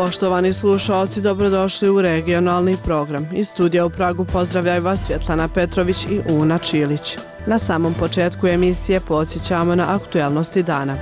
Poštovani slušaoci, dobrodošli u regionalni program. Iz studija u Pragu pozdravljaju vas Svjetlana Petrović i Una Čilić. Na samom početku emisije podsjećamo na aktuelnosti dana.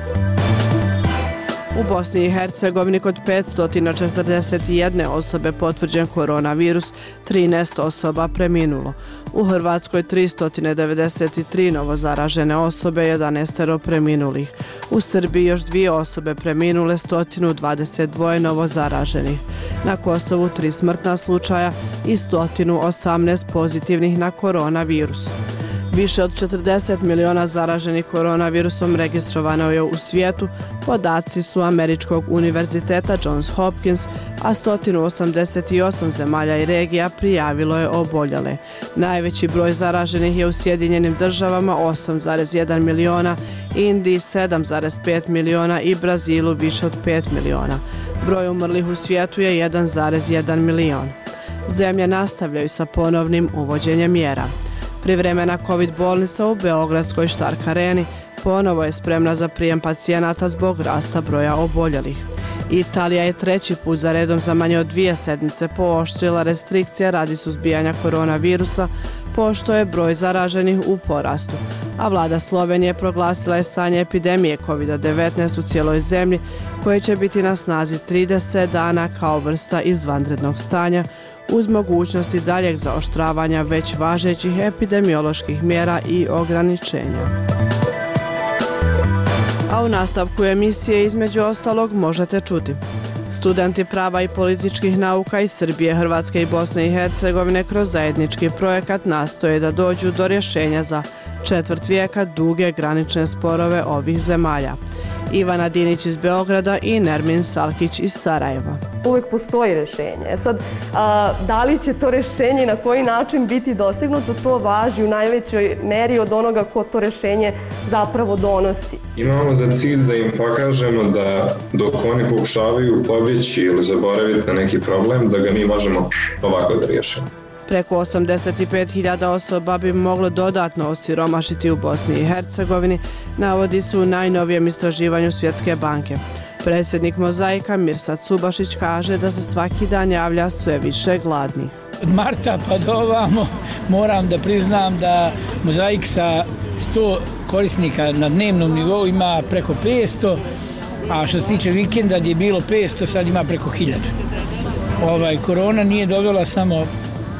U Bosni i Hercegovini kod 541 osobe potvrđen koronavirus, 13 osoba preminulo. U Hrvatskoj 393 novozaražene osobe, 11 preminulih. U Srbiji još 2 osobe preminule, 122 novozaraženih. Na Kosovu 3 smrtna slučaja i 118 pozitivnih na koronavirus. Više od 40 miliona zaraženih koronavirusom registrovano je u svijetu, podaci su Američkog univerziteta Johns Hopkins, a 188 zemalja i regija prijavilo je oboljele. Najveći broj zaraženih je u Sjedinjenim državama 8,1 miliona, Indiji 7,5 miliona i Brazilu više od 5 miliona. Broj umrlih u svijetu je 1,1 milion. Zemlje nastavljaju sa ponovnim uvođenjem mjera. Privremena COVID bolnica u Beogradskoj Štark areni ponovo je spremna za prijem pacijenata zbog rasta broja oboljelih. Italija je 3. put za redom za manje od 2 sedmice pooštrila restrikcije radi suzbijanja koronavirusa, pošto je broj zaraženih u porastu. A vlada Slovenije proglasila je stanje epidemije COVID-19 u cijeloj zemlji, koje će biti na snazi 30 dana kao vrsta izvanrednog stanja, uz mogućnosti daljeg zaoštravanja već važećih epidemioloških mjera i ograničenja. A u nastavku emisije između ostalog možete čuti: studenti prava i političkih nauka iz Srbije, Hrvatske i Bosne i Hercegovine kroz zajednički projekat nastoje da dođu do rješenja za četvrt vijeka duge granične sporove ovih zemalja. Ivana Dinić iz Beograda i Nermin Salkić iz Sarajeva. Uvijek postoji rješenje. Sad, da li će to rješenje i na koji način biti dosegnuto, to važi u najvećoj meri od onoga ko to rješenje zapravo donosi. Imamo za cilj da im pokažemo da dok oni pokušavaju pobjeći ili zaboraviti na neki problem, da ga mi možemo ovako da riješimo. Preko 85.000 osoba bi moglo dodatno osiromašiti u Bosni i Hercegovini, navodi se u najnovijem istraživanju Svjetske banke. Predsjednik Mozaika Mirsad Subašić kaže da se svaki dan javlja sve više gladnih. Od marta pa do ovamo moram da priznam da Mozaik sa 100 korisnika na dnevnom nivou ima preko 500, a što se tiče vikenda gdje je bilo 500, sad ima preko 1000. Korona nije dovela samo,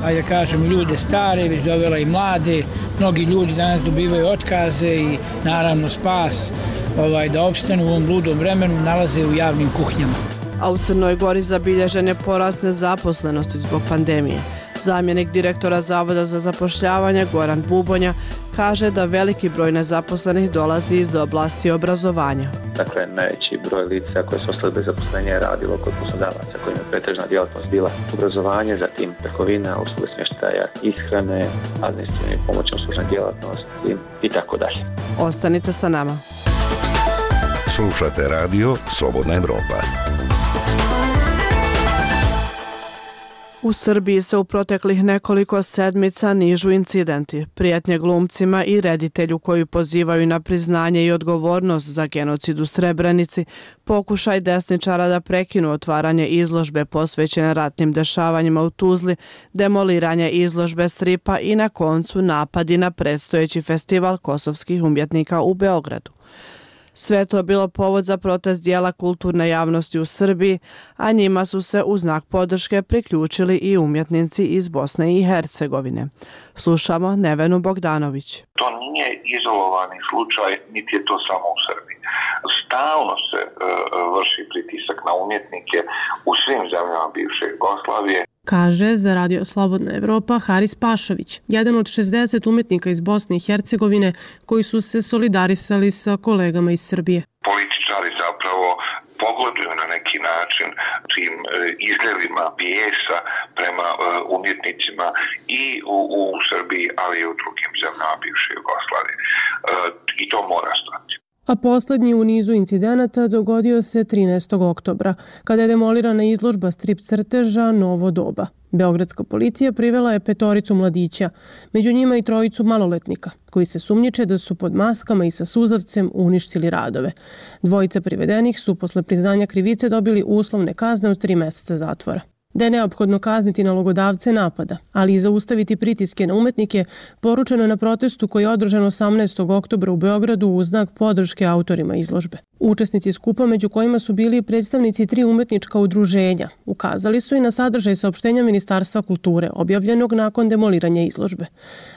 ajde kažem, ljude stare, već dovela i mlade. Mnogi ljudi danas dobivaju otkaze i naravno spas da opstanu u ovom ludom vremenu nalaze u javnim kuhinjama. A u Crnoj Gori zabilježen je porast nezaposlenosti zbog pandemije. Zamjenik direktora Zavoda za zapošljavanje Goran Bubonja kaže da veliki broj nezaposlenih dolazi iz oblasti obrazovanja. Dakle, najveći broj lica koje su ostali bez zaposlenja je radilo kod poslodavaca kojima je pretežna djelatnost bila obrazovanje, zatim trgovina, usluge smještaja, ishrane, administrativne i pomoćne uslužne djelatnosti i tako dalje. Ostanite sa nama. Slušate radio Slobodna Evropa. U Srbiji se u proteklih nekoliko sedmica nižu incidenti, prijetnje glumcima i reditelju koji pozivaju na priznanje i odgovornost za genocid u Srebrenici, pokušaj desničara da prekinu otvaranje izložbe posvećene ratnim dešavanjima u Tuzli, demoliranje izložbe stripa i na koncu napadi na predstojeći festival kosovskih umjetnika u Beogradu. Sve to bilo povod za protest dijela kulturne javnosti u Srbiji, a njima su se u znak podrške priključili i umjetnici iz Bosne i Hercegovine. Slušamo Nevenu Bogdanović. To nije izolovani slučaj, niti je to samo u Srbiji. Stalno se vrši pritisak na umjetnike u svim zemljama bivše Jugoslavije. Kaže za Radio Slobodna Evropa Haris Pašović, jedan od 60 umjetnika iz Bosne i Hercegovine koji su se solidarisali sa kolegama iz Srbije. Političari zapravo pogoduju na neki način tim izljevima bijesa prema umjetnicima i u Srbiji, ali i u drugim zemljama bivše Jugoslavije. I to mora stati. A posljednji u nizu incidenata dogodio se 13. oktobra, kada je demolirana izložba strip crteža Novo doba. Beogradska policija privela je 5 mladića, među njima i 3 maloletnika, koji se sumnjiče da su pod maskama i sa suzavcem uništili radove. 2 privedenih su posle priznanja krivice dobili uslovne kazne od 3 meseca zatvora. Da je neophodno kazniti nalogodavce napada, ali i zaustaviti pritiske na umetnike, poručeno je na protestu koji je održan 18. oktobra u Beogradu u znak podrške autorima izložbe. Učesnici skupa, među kojima su bili predstavnici 3 umetnička udruženja, ukazali su i na sadržaj saopštenja Ministarstva kulture, objavljenog nakon demoliranja izložbe.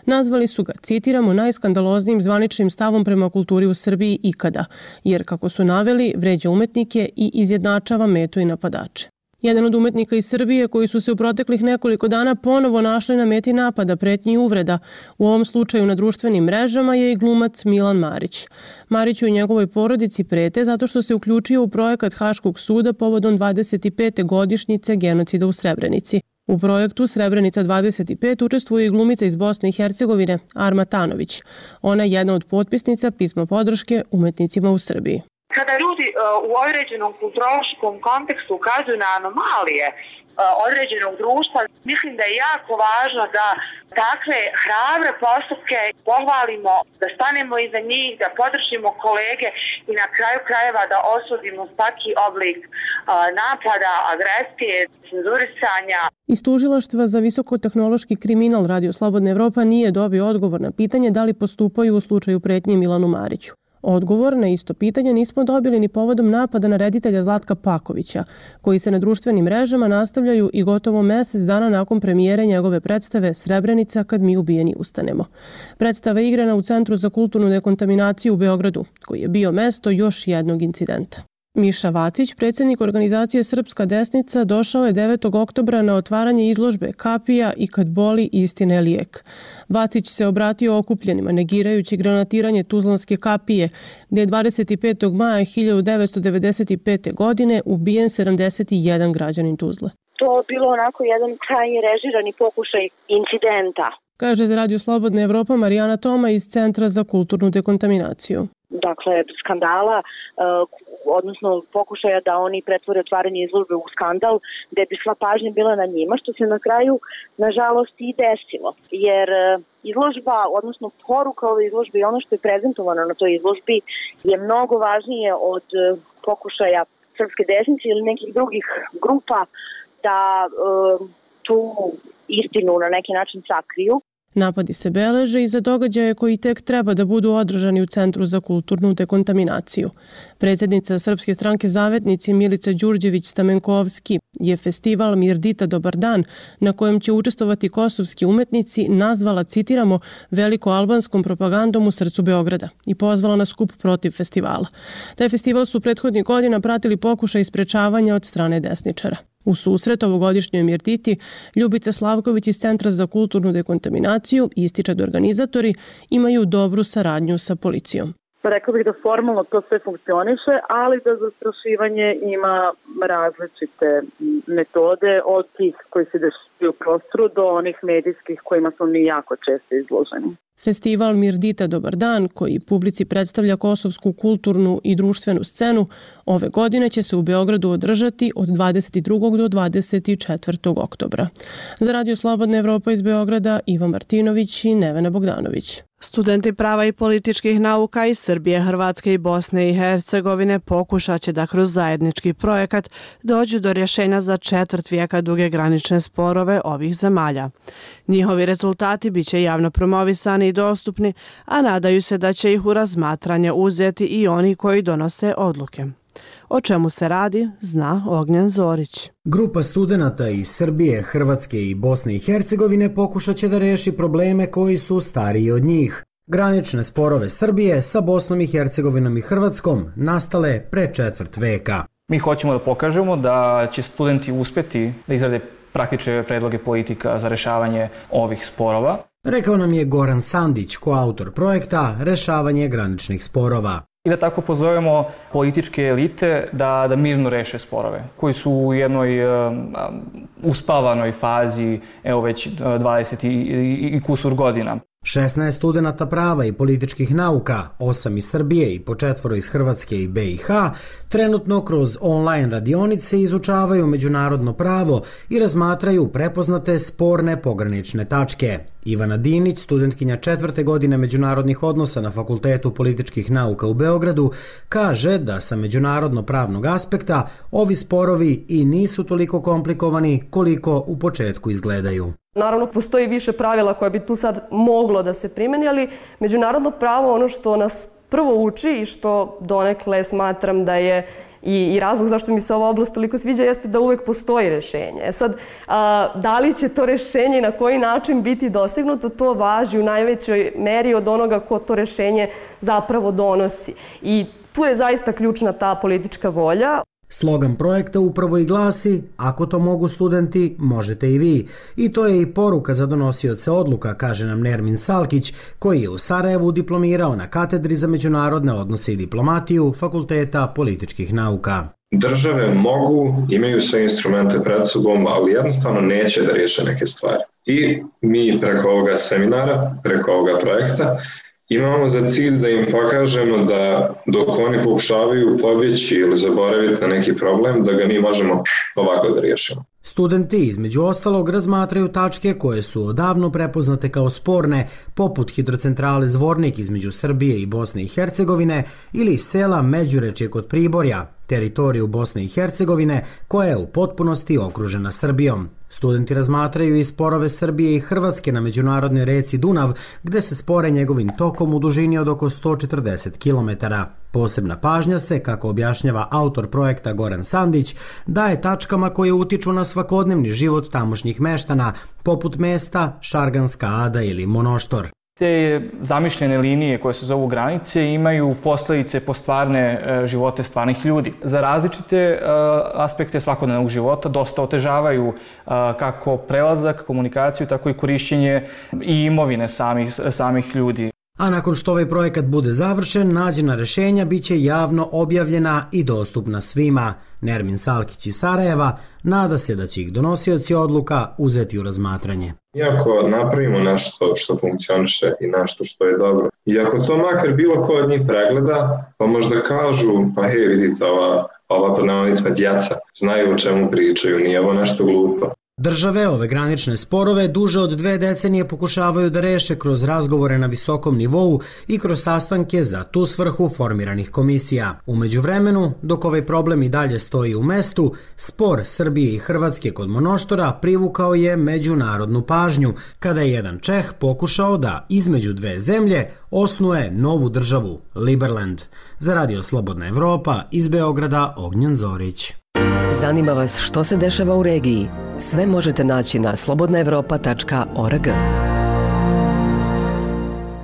Nazvali su ga, citiramo, najskandaloznijim zvaničnim stavom prema kulturi u Srbiji ikada, jer, kako su naveli, vređa umetnike i izjednačava metu i napadače. Jedan od umetnika iz Srbije koji su se u proteklih nekoliko dana ponovo našli na meti napada, pretnji i uvreda, u ovom slučaju na društvenim mrežama, je i glumac Milan Marić. Mariću i njegovoj porodici prete zato što se uključio u projekat Haškog suda povodom 25. godišnjice genocida u Srebrenici. U projektu Srebrenica 25 učestvuje i glumica iz Bosne i Hercegovine Arma Tanović. Ona je jedna od potpisnica pisma podrške umetnicima u Srbiji. Kada ljudi u određenom kulturološkom kontekstu ukazuju na anomalije određenog društva, mislim da je jako važno da takve hrabre postupke pohvalimo, da stanemo iza njih, da podržimo kolege i na kraju krajeva da osudimo svaki oblik napada, agresije, cenzurisanja. Iz Tužilaštva za visokotehnološki kriminal Radio Slobodna Evropa nije dobio odgovor na pitanje da li postupaju u slučaju pretnje Milanu Mariću. Odgovor na isto pitanje nismo dobili ni povodom napada na reditelja Zlatka Pakovića, koji se na društvenim mrežama nastavljaju i gotovo mesec dana nakon premijere njegove predstave Srebrenica kad mi ubijeni ustanemo. Predstava je igrana u Centru za kulturnu dekontaminaciju u Beogradu, koji je bio mesto još jednog incidenta. Miša Vacić, predsjednik organizacije Srpska desnica, došao je 9. oktobra na otvaranje izložbe Kapija i kad boli istina je lijek. Vacić se obratio okupljenima, negirajući granatiranje Tuzlanske kapije, gdje je 25. maja 1995. godine ubijen 71 građanin Tuzle. To je bilo onako jedan krajnje režirani pokušaj incidenta. Kaže za Radio Slobodna Evropa Marijana Toma iz Centra za kulturnu dekontaminaciju. Dakle, skandala, odnosno pokušaja da oni pretvore otvaranje izložbe u skandal, gde bi sva pažnja bila na njima, što se na kraju, nažalost, i desilo. Jer izložba, odnosno poruka ove izložbe i ono što je prezentovano na toj izložbi je mnogo važnije od pokušaja srpske desnice ili nekih drugih grupa da tu istinu na neki način sakriju. Napadi se beleže i za događaje koji tek treba da budu održani u Centru za kulturnu dekontaminaciju. Predsjednica Srpske stranke Zavetnici Milica Đurđević-Stamenkovski je festival Mirdita Dobar dan, na kojem će učestvovati kosovski umetnici, nazvala, citiramo, veliko-albanskom propagandom u srcu Beograda i pozvala na skup protiv festivala. Taj festival su prethodnih godina pratili pokušaj sprečavanja od strane desničara. U susret ovogodišnjoj Mirditi Ljubica Slavković iz Centra za kulturnu dekontaminaciju ističe da organizatori imaju dobru saradnju sa policijom. Rekla bih da formalno to sve funkcioniše, ali da zastrašivanje ima različite metode od tih koji se dešavaju u prostoru do onih medijskih kojima smo mi jako često izloženi. Festival Mirdita Dobar dan, koji publici predstavlja kosovsku kulturnu i društvenu scenu, ove godine će se u Beogradu održati od 22. do 24. oktobra. Za Radio Slobodna Evropa iz Beograda Ivan Martinović i Nevena Bogdanović. Studenti prava i političkih nauka iz Srbije, Hrvatske i Bosne i Hercegovine pokušat će da kroz zajednički projekat dođu do rješenja za 4 vijeka duge granične sporove ovih zemalja. Njihovi rezultati bit će javno promovisani i dostupni, a nadaju se da će ih u razmatranje uzeti i oni koji donose odluke. O čemu se radi, zna Ognjen Zorić. Grupa studenata iz Srbije, Hrvatske i Bosne i Hercegovine pokušat će da reši probleme koji su stariji od njih. Granične sporove Srbije sa Bosnom i Hercegovinom i Hrvatskom nastale pre 1/4 veka. Mi hoćemo da pokažemo da će studenti uspjeti da izrade praktične predloge politika za rešavanje ovih sporova. Rekao nam je Goran Sandić, koautor projekta Rešavanje graničnih sporova. I da tako pozovemo političke elite da mirno reše sporove, koji su u jednoj uspavanoj fazi, evo već 20 i kusur godina. 16 studenata prava i političkih nauka, 8 iz Srbije i po 4 iz Hrvatske i BiH, trenutno kroz online radionice izučavaju međunarodno pravo i razmatraju prepoznate sporne pogranične tačke. Ivana Dinić, studentkinja 4. godine međunarodnih odnosa na Fakultetu političkih nauka u Beogradu, kaže da sa međunarodno pravnog aspekta ovi sporovi i nisu toliko komplikovani koliko u početku izgledaju. Naravno, postoji više pravila koja bi tu sad moglo da se primeni, ali međunarodno pravo, ono što nas prvo uči i što donekle smatram da je i razlog zašto mi se ova oblast toliko sviđa jeste da uvek postoji rešenje. Sad, da li će to rešenje i na koji način biti dosegnuto, to važi u najvećoj meri od onoga ko to rešenje zapravo donosi. I tu je zaista ključna ta politička volja. Slogan projekta upravo i glasi: ako to mogu studenti, možete i vi. I to je i poruka za donosioce odluka, kaže nam Nermin Salkić, koji je u Sarajevu diplomirao na katedri za međunarodne odnose i diplomatiju Fakulteta političkih nauka. Države mogu, imaju sve instrumente pred sobom, ali jednostavno neće da riješe neke stvari. I mi preko ovoga seminara, preko ovoga projekta, imamo za cilj da im pokažemo da dok oni pokušavaju pobjeći ili zaboraviti na neki problem, da ga mi možemo ovako da riješimo. Studenti između ostalog razmatraju tačke koje su odavno prepoznate kao sporne, poput hidrocentrale Zvornik između Srbije i Bosne i Hercegovine ili sela Međurečje kod Priborja, teritoriju Bosne i Hercegovine koja je u potpunosti okružena Srbijom. Studenti razmatraju i sporove Srbije i Hrvatske na međunarodnoj reci Dunav, gde se spore njegovim tokom u dužini od oko 140 km. Posebna pažnja se, kako objašnjava autor projekta Goran Sandić, daje tačkama koje utiču na svakodnevni život tamošnjih meštana, poput mesta Šarganska Ada ili Monoštor. Te zamišljene linije koje se zovu granice imaju posljedice po stvarne živote stvarnih ljudi. Za različite aspekte svakodnevnog života dosta otežavaju kako prelazak, komunikaciju, tako i korišćenje i imovine samih ljudi. A nakon što ovaj projekat bude završen, nađena rešenja bit će javno objavljena i dostupna svima. Nermin Salkić iz Sarajeva nada se da će ih donosioci odluka uzeti u razmatranje. Iako napravimo nešto što funkcioniše i nešto što je dobro, i ako to makar bilo ko od njih pregleda, pa možda kažu, pa hej, vidite, ova pod navodnicima djeca znaju o čemu pričaju, nije ovo nešto glupo. Države ove granične sporove duže od 2 decenije pokušavaju da reše kroz razgovore na visokom nivou i kroz sastanke za tu svrhu formiranih komisija. U međuvremenu, dok ovaj problem i dalje stoji u mestu, spor Srbije i Hrvatske kod Monoštora privukao je međunarodnu pažnju, kada je jedan Čeh pokušao da između 2 zemlje osnuje novu državu, Liberland. Za Radio Slobodna Evropa, iz Beograda, Ognjen Zorić. Zanima vas što se dešava u regiji? Sve možete naći na slobodnaevropa.org.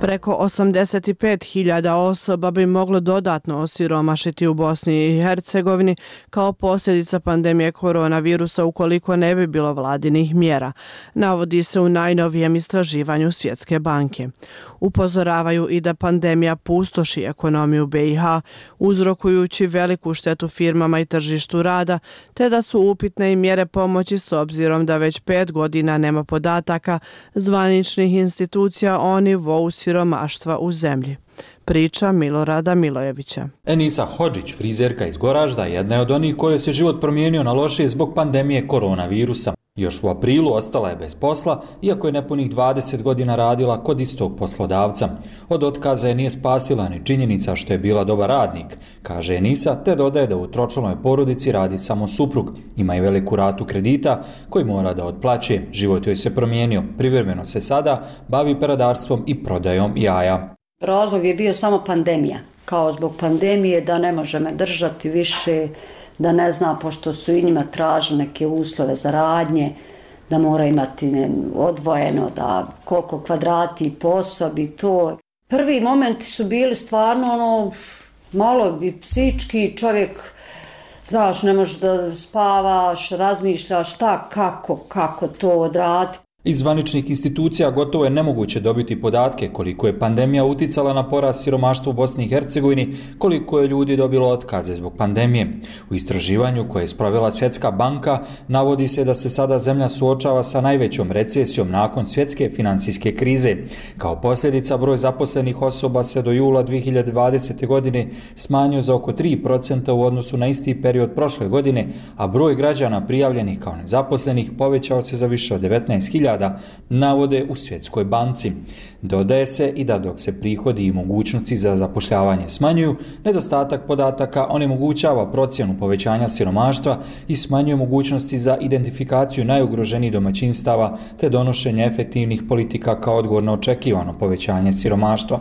Preko 85.000 osoba bi moglo dodatno osiromašiti u Bosni i Hercegovini kao posljedica pandemije koronavirusa ukoliko ne bi bilo vladinih mjera, navodi se u najnovijem istraživanju Svjetske banke. Upozoravaju i da pandemija pustoši ekonomiju BiH, uzrokujući veliku štetu firmama i tržištu rada, te da su upitne i mjere pomoći s obzirom da već 5 godina nema podataka zvaničnih institucija o nivou siromaštva u zemlji. Priča Milorada Milojevića. Enisa Hodžić, frizerka iz Goražda, jedna je od onih koje se život promijenio na lošije zbog pandemije koronavirusa. Još u aprilu ostala je bez posla, iako je nepunih 20 godina radila kod istog poslodavca. Od otkaza je nije spasila ni činjenica što je bila dobar radnik, kaže Enisa, te dodaje da u tročlanoj porodici radi samo suprug. Ima i veliku ratu kredita koji mora da otplaćuje. Život joj se promijenio. Privremeno se sada bavi peradarstvom i prodajom jaja. Razlog je bio samo pandemija. Kao zbog pandemije da ne može me držati više, da ne zna, pošto su i njima tražili neke uslove za radnje, da mora imati odvojeno, da koliko kvadrati po osobi, to. Prvi momenti su bili stvarno malo bi psički, čovjek, znaš, ne možeš da spavaš, razmišljaš šta, kako to odraditi. Iz zvaničnih institucija gotovo je nemoguće dobiti podatke koliko je pandemija uticala na porast siromaštva u Bosni i Hercegovini, koliko je ljudi dobilo otkaze zbog pandemije. U istraživanju koje je sprovela Svjetska banka navodi se da se sada zemlja suočava sa najvećom recesijom nakon svjetske financijske krize. Kao posljedica, broj zaposlenih osoba se do jula 2020. godine smanjio za oko 3% u odnosu na isti period prošle godine, a broj građana prijavljenih kao nezaposlenih povećao se za više od 19.000, navode u Svjetskoj banci. Dodaje se i da dok se prihodi i mogućnosti za zapošljavanje smanjuju, nedostatak podataka onemogućava procjenu povećanja siromaštva i smanjuje mogućnosti za identifikaciju najugroženijih domaćinstava te donošenje efektivnih politika kao odgovor na očekivano povećanje siromaštva.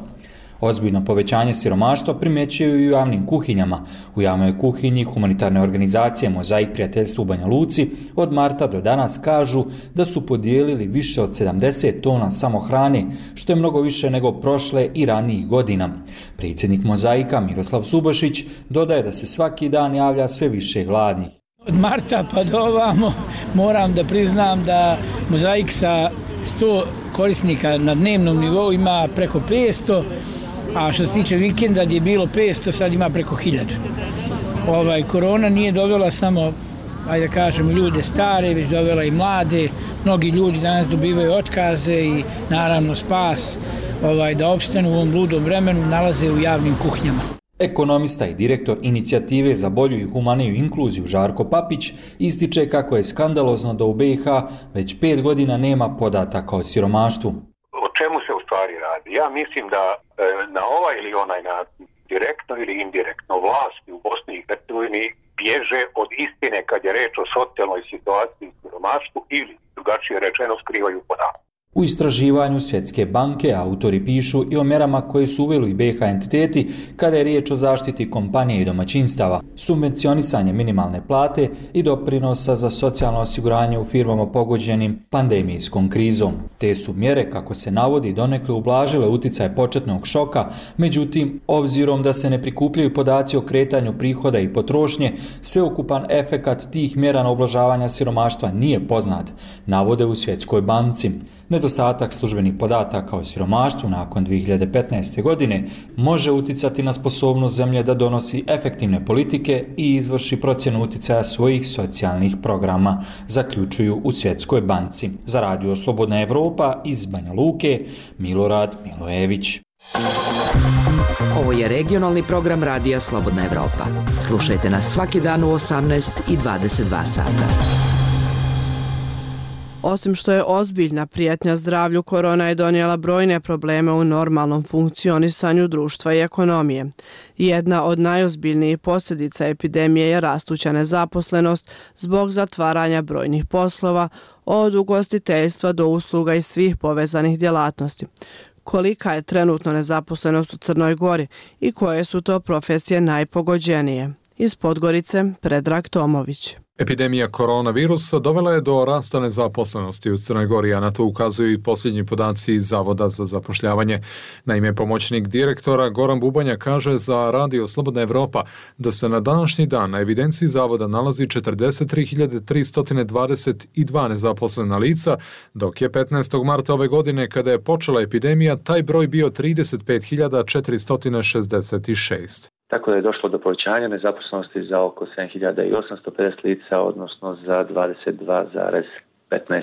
Ozbiljno povećanje siromaštva primjećuju i u javnim kuhinjama. U javnoj kuhinji humanitarne organizacije Mozaik prijateljstva u Banja Luci od marta do danas kažu da su podijelili više od 70 tona samohrane, što je mnogo više nego prošle i ranijih godina. Predsjednik Mozaika Miroslav Subošić dodaje da se svaki dan javlja sve više gladnih. Od marta pa do ovamo moram da priznam da Mozaik sa 100 korisnika na dnevnom nivou ima preko 500, a što se tiče vikenda gdje je bilo 500, sad ima preko 1000. Korona nije dovela samo, ajde da kažemo, ljude stare, već dovela i mlade. Mnogi ljudi danas dobivaju otkaze i naravno spas da opstanu u ovom bludom vremenu nalaze u javnim kuhinjama. Ekonomista i direktor inicijative za bolju i humaniju inkluziju Žarko Papić ističe kako je skandalozno da u BiH već 5 godina nema podataka o siromaštvu. O čemu se u stvari radi? Ja mislim da na ovaj ili onaj način, direktno ili indirektno, vlasti u Bosni i Hercegovini bježe od istine kad je reč o socijalnoj situaciji i siromaštvu ili, drugačije rečeno, skrivaju podatke. U istraživanju Svjetske banke autori pišu i o mjerama koje su uveli BiH entiteti kada je riječ o zaštiti kompanije i domaćinstava, subvencionisanje minimalne plate i doprinosa za socijalno osiguranje u firmama pogođenim pandemijskom krizom. Te su mjere, kako se navodi, donekle ublažile utjecaj početnog šoka, međutim, obzirom da se ne prikupljaju podaci o kretanju prihoda i potrošnje, sveukupan efekat tih mjera na ublažavanja siromaštva nije poznat, navode u Svjetskoj banci. Nedostatak službenih podataka o siromaštvu nakon 2015. godine može uticati na sposobnost zemlje da donosi efektivne politike i izvrši procjenu utjecaja svojih socijalnih programa, zaključuju u Svjetskoj banci. Za Radio Slobodna Evropa iz Banja Luke, Milorad Milojević. Ovo je regionalni program Radija Slobodna Evropa. Slušajte nas svaki dan u 18 i 22 sata. Osim što je ozbiljna prijetnja zdravlju, korona je donijela brojne probleme u normalnom funkcionisanju društva i ekonomije. Jedna od najozbiljnijih posljedica epidemije je rastuća nezaposlenost zbog zatvaranja brojnih poslova, od ugostiteljstva do usluga i svih povezanih djelatnosti. Kolika je trenutno nezaposlenost u Crnoj Gori i koje su to profesije najpogođenije? Iz Podgorice, Predrag Tomović. Epidemija koronavirusa dovela je do rasta nezaposlenosti u Crnoj Gori, a na to ukazuju i posljednji podaci Zavoda za zapošljavanje. Naime, pomoćnik direktora Goran Bubanja kaže za Radio Slobodna Evropa da se na današnji dan na evidenciji Zavoda nalazi 43.322 nezaposlena lica, dok je 15. marta ove godine, kada je počela epidemija, taj broj bio 35.466. Tako da je došlo do povećanja nezaposlenosti za oko 7.850 lica, odnosno za 22,15%.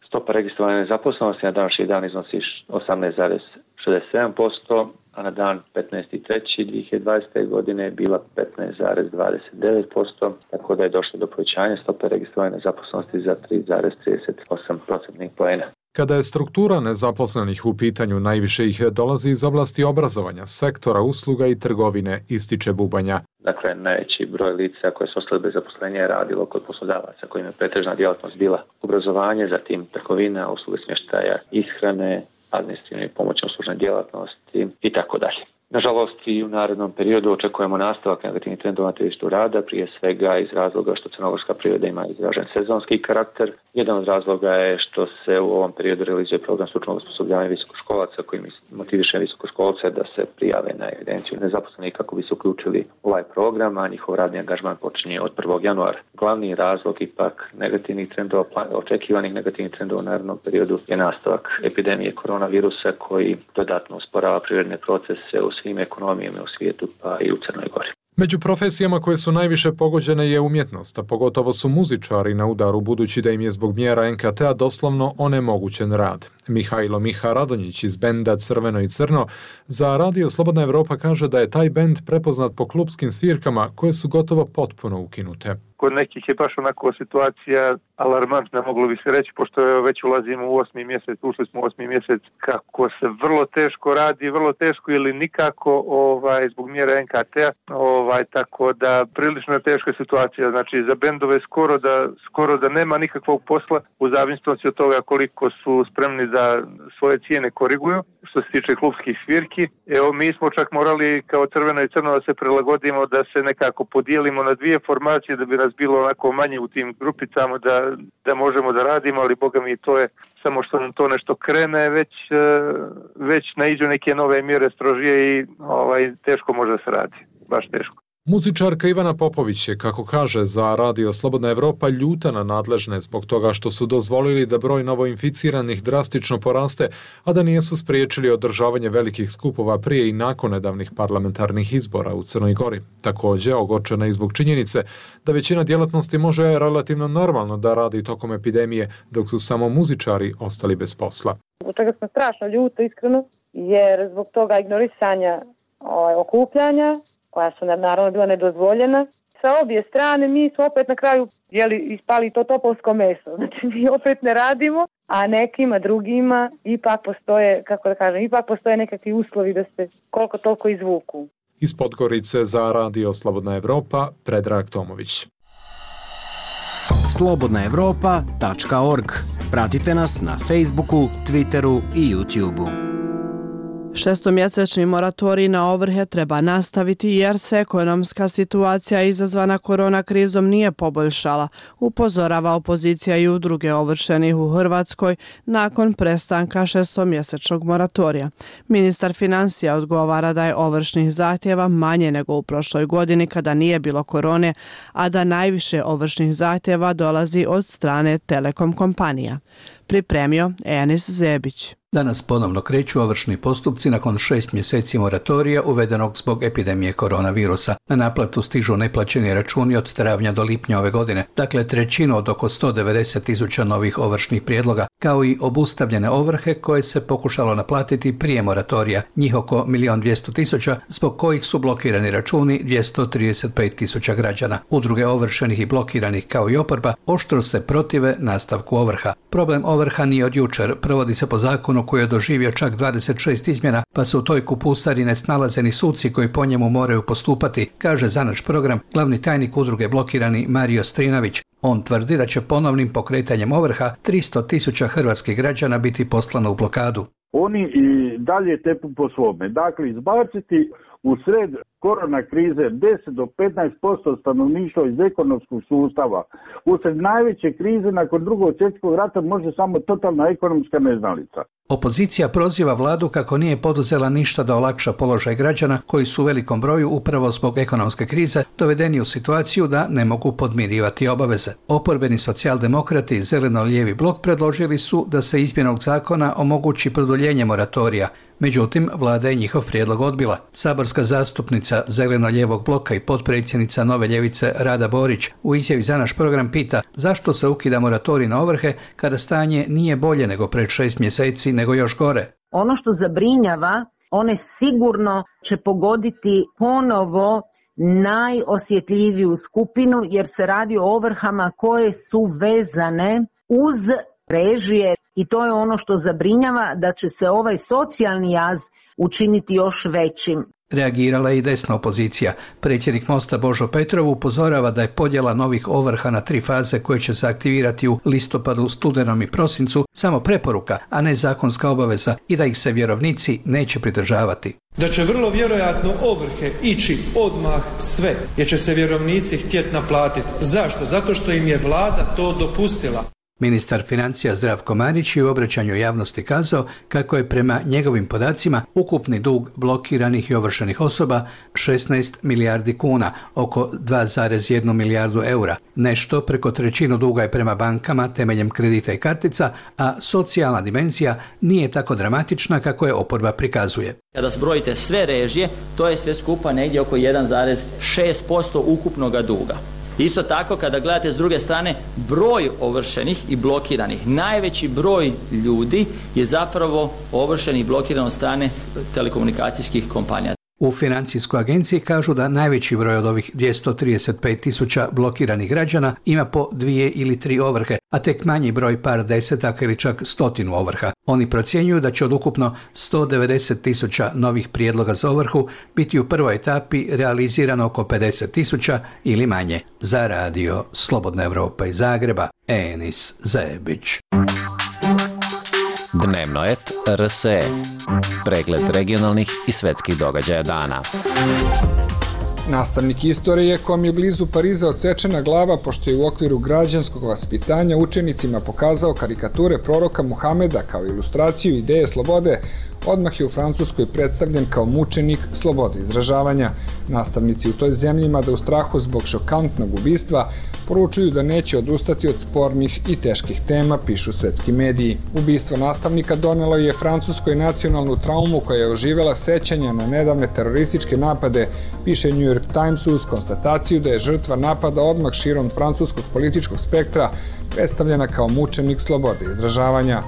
Stopa registrovane nezaposlenosti na današnji dan iznosi 18,67%, a na dan 15.3.2020. godine je bila 15,29%, tako da je došlo do povećanja stope registrovane nezaposlenosti za 3,38% poena. Kada je struktura nezaposlenih u pitanju, najviše ih dolazi iz oblasti obrazovanja, sektora usluga i trgovine, ističe Bubanja. Dakle, najveći broj lica koje su ostali bez zaposlenja je radilo kod poslodavaca kojima je pretežna djelatnost bila obrazovanje, zatim trgovina, usluge smještaja, ishrane, administrativne i pomoćne uslužne djelatnosti i tako dalje. Nažalost, i u narednom periodu očekujemo nastavak negativnih trendova na tržištu rada, prije svega iz razloga što crnogorska privreda ima izražen sezonski karakter. Jedan od razloga je što se u ovom periodu realizuje program stručnog osposobljavanja visokoškolaca koji motiviše visokoškolce da se prijave na evidenciju nezaposlenih kako bi se uključili u ovaj program, a njihov radni angažman počinje od 1. januara. Glavni razlog ipak negativnih trendova, očekivanih negativnih trendova u narednom periodu je nastavak epidemije koronavirusa koji dodatno usporava privredne procese u svim ekonomijama u svijetu, pa i u Crnoj Gori. Među profesijama koje su najviše pogođene je umjetnost, a pogotovo su muzičari na udaru budući da im je zbog mjera NKT-a doslovno onemogućen rad. Mihajlo Miha Radonjić iz benda Crveno i Crno za Radio Slobodna Evropa kaže da je taj bend prepoznat po klupskim svirkama koje su gotovo potpuno ukinute. Kod nekih je baš onako situacija alarmantna, moglo bi se reći, pošto već ulazimo u 8. mjesec, ušli smo u 8. mjesec, kako se vrlo teško radi, vrlo teško ili nikako zbog mjera NKT-a, tako da prilično je teška situacija, znači za bendove skoro da nema nikakvog posla u zavisnosti od toga koliko su spremni da svoje cijene koriguju. Što se tiče klubskih svirki, evo mi smo čak morali kao Crveno i Crno da se prilagodimo, da se nekako podijelimo na dvije formacije da bi nas bilo onako manje u tim grupicama da možemo da radimo, ali boga mi to je samo što nam to nešto krene, već naiđu neke nove mjere strožije i teško može da se radi, baš teško. Muzičarka Ivana Popović je, kako kaže za Radio Slobodna Evropa, ljuta na nadležne zbog toga što su dozvolili da broj novoinficiranih drastično poraste, a da nisu spriječili održavanje velikih skupova prije i nakon nedavnih parlamentarnih izbora u Crnoj Gori. Također, ogorčena i zbog činjenice da većina djelatnosti može relativno normalno da radi tokom epidemije, dok su samo muzičari ostali bez posla. Zbog čega smo strašno ljuto, iskreno, jer zbog toga ignorisanja okupljanja, koja su naravno bila nedozvoljena. Sa obje strane mi smo opet na kraju ispali to topovsko meso. Znači mi opet ne radimo, a nekima drugima ipak postoje nekakvi uslovi da se koliko toliko izvuku. Iz Podgorice za Radio Slobodna Evropa, Predrag Tomović. slobodnaevropa.org. Pratite nas na Facebooku, Twitteru i YouTubeu. Šestomjesečni moratorij na ovrhe treba nastaviti jer se ekonomska situacija izazvana korona krizom nije poboljšala, upozorava opozicija i udruge ovršenih u Hrvatskoj nakon prestanka šestomjesečnog moratorija. Ministar financija odgovara da je ovršnih zahtjeva manje nego u prošloj godini kada nije bilo korone, a da najviše ovršnih zahtjeva dolazi od strane telekom kompanija. Pripremio Enis Zebić. Danas ponovno kreću ovršni postupci nakon 6 mjeseci moratorija uvedenog zbog epidemije koronavirusa. Na naplatu stižu neplaćeni računi od travnja do lipnja ove godine, dakle trećinu od oko 190.000 novih ovršnih prijedloga, kao i obustavljene ovrhe koje se pokušalo naplatiti prije moratorija, njih oko 1.200.000, zbog kojih su blokirani računi 235.000 građana. Udruge ovršenih i blokiranih kao i oporba oštro se protive nastavku ovrha. Problem ovrha nije od jučer, provodi se po zakonu koji je doživio čak 26 izmjena, pa se u toj kupusari ne snalaze ni suci koji po njemu moraju postupati, kaže za naš program glavni tajnik udruge blokirani Mario Strinavić. On tvrdi da će ponovnim pokretanjem ovrha 300.000 hrvatskih građana biti poslano u blokadu. Oni i dalje tepu po svome. Dakle, izbaciti u sred korona krize 10 do 15% stanovništva iz ekonomskog sustava. Usred najveće krize nakon drugog svjetskog rata može samo totalna ekonomska neznalica. Opozicija proziva vladu kako nije poduzela ništa da olakša položaj građana koji su u velikom broju upravo zbog ekonomske krize dovedeni u situaciju da ne mogu podmirivati obaveze. Oporbeni socijaldemokrati i zeleno-lijevi blok predložili su da se izmjenom zakona omogući produljenje moratorija. Međutim, vlada je njihov prijedlog odbila. Saborska zastupnica zeleno-lijevog bloka i potpredsjednica Nove ljevice Rada Borić u izjavi za naš program pita zašto se ukida moratorij na ovrhe kada stanje nije bolje nego pred 6 mjeseci, nego još gore. Ono što zabrinjava, one sigurno će pogoditi ponovo najosjetljiviju skupinu jer se radi o ovrhama koje su vezane uz režije i to je ono što zabrinjava, da će se ovaj socijalni jaz učiniti još većim. Reagirala je i desna opozicija. Predsjednik Mosta Božo Petrov upozorava da je podjela novih ovrha na 3 faze koje će se aktivirati u listopadu, studenom i prosincu samo preporuka, a ne zakonska obaveza i da ih se vjerovnici neće pridržavati. Da će vrlo vjerojatno ovrhe ići odmah sve, jer će se vjerovnici htjeti naplatiti. Zašto? Zato što im je vlada to dopustila. Ministar financija Zdravko Marić je u obraćanju javnosti kazao kako je prema njegovim podacima ukupni dug blokiranih i ovršenih osoba 16 milijardi kuna, oko 2,1 milijardu eura. Nešto preko trećinu duga je prema bankama temeljem kredita i kartica, a socijalna dimenzija nije tako dramatična kako je oporba prikazuje. Kada zbrojite sve režije, to je sve skupa negdje oko 1,6% ukupnog duga. Isto tako, kada gledate s druge strane broj ovršenih i blokiranih, najveći broj ljudi je zapravo ovršen i blokiran od strane telekomunikacijskih kompanija. U financijskoj agenciji kažu da najveći broj od ovih 235.000 blokiranih građana ima po 2 ili 3 ovrhe, a tek manji broj par desetaka ili čak 100 ovrha. Oni procjenjuju da će od ukupno 190.000 novih prijedloga za ovrhu biti u prvoj etapi realizirano oko 50.000 ili manje. Za radio Slobodna Evropa iz Zagreba, Enis Zebić. Dnevnoet RSE. Pregled regionalnih i svetskih događaja dana. Nastavnik istorije kom je blizu Pariza odsečena glava pošto je u okviru građanskog vaspitanja učenicima pokazao karikature proroka Muhameda kao ilustraciju ideje slobode, odmah je u Francuskoj predstavljen kao mučenik slobode izražavanja. Nastavnici u toj zemlji, mada u strahu zbog šokantnog ubistva, poručuju da neće odustati od spornih i teških tema, pišu svetski mediji. Ubistvo nastavnika donelo je Francuskoj nacionalnu traumu koja je oživela sećanja na nedavne terorističke napade, piše New York Times uz konstataciju da je žrtva napada odmah širom francuskog političkog spektra predstavljena kao mučenik slobode izražavanja.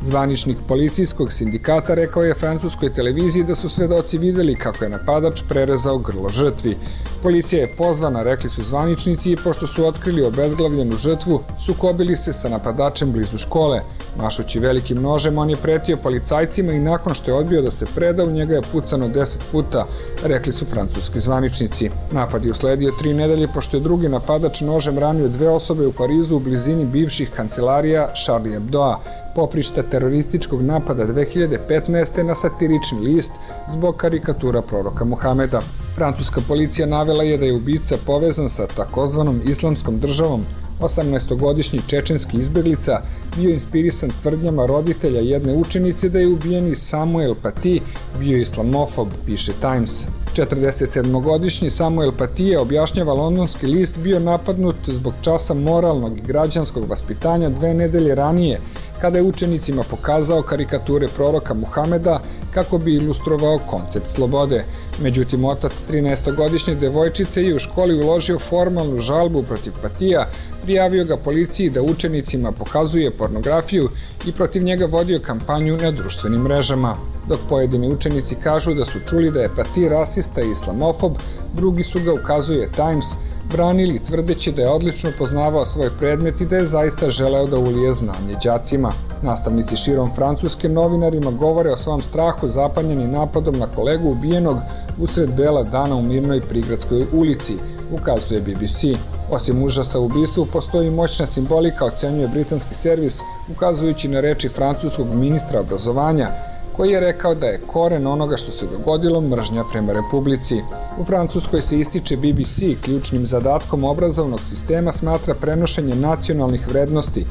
Zvaničnik policijskog sindikata rekao je francuskoj televiziji da su svedoci videli kako je napadač prerezao grlo žrtvi. Policija je pozvana, rekli su zvaničnici, i pošto su otkrili obezglavljenu žrtvu, sukobili se sa napadačem blizu škole. Mašući velikim nožem, on je pretio policajcima i nakon što je odbio da se preda, u njega je pucano 10 puta, rekli su francuski zvaničnici. Napad je usledio 3 nedelje pošto je drugi napadač nožem ranio 2 osobe u Parizu u blizini bivših kancelarija Charlie Hebdoa, poprišta terorističkog napada 2015. na satirični list zbog karikatura proroka Muhameda. Francuska policija navela je da je ubica povezan sa takozvanom islamskom državom. 18-godišnji čečenski izbeglica bio inspirisan tvrdnjama roditelja jedne učenice da je ubijeni Samuel Paty bio islamofob, piše Times. 47-godišnji Samuel Paty je, objašnjava londonski list, bio napadnut zbog časa moralnog i građanskog vaspitanja 2 nedelje ranije, kada je učenicima pokazao karikature proroka Muhameda kako bi ilustrovao koncept slobode. Međutim, otac 13-godišnje devojčice je u školi uložio formalnu žalbu protiv Patija, prijavio ga policiji da učenicima pokazuje pornografiju i protiv njega vodio kampanju na društvenim mrežama. Dok pojedini učenici kažu da su čuli da je Paty rasista i islamofob, drugi su ga, ukazuje Times, branili tvrdeći da je odlično poznavao svoj predmet i da je zaista želeo da ulije znanje đacima. Nastavnici širom Francuske novinarima govore o svom strahu zapanjeni napadom na kolegu ubijenog usred bela dana u mirnoj prigradskoj ulici, ukazuje BBC. Osim užasa u ubistvu, postoji moćna simbolika, ocenjuje britanski servis, ukazujući na reči francuskog ministra obrazovanja, koji je rekao da je koren onoga što se dogodilo mržnja prema Republici. U Francuskoj se ističe BBC, ključnim zadatkom obrazovnog sistema smatra prenošenje nacionalnih vrednosti,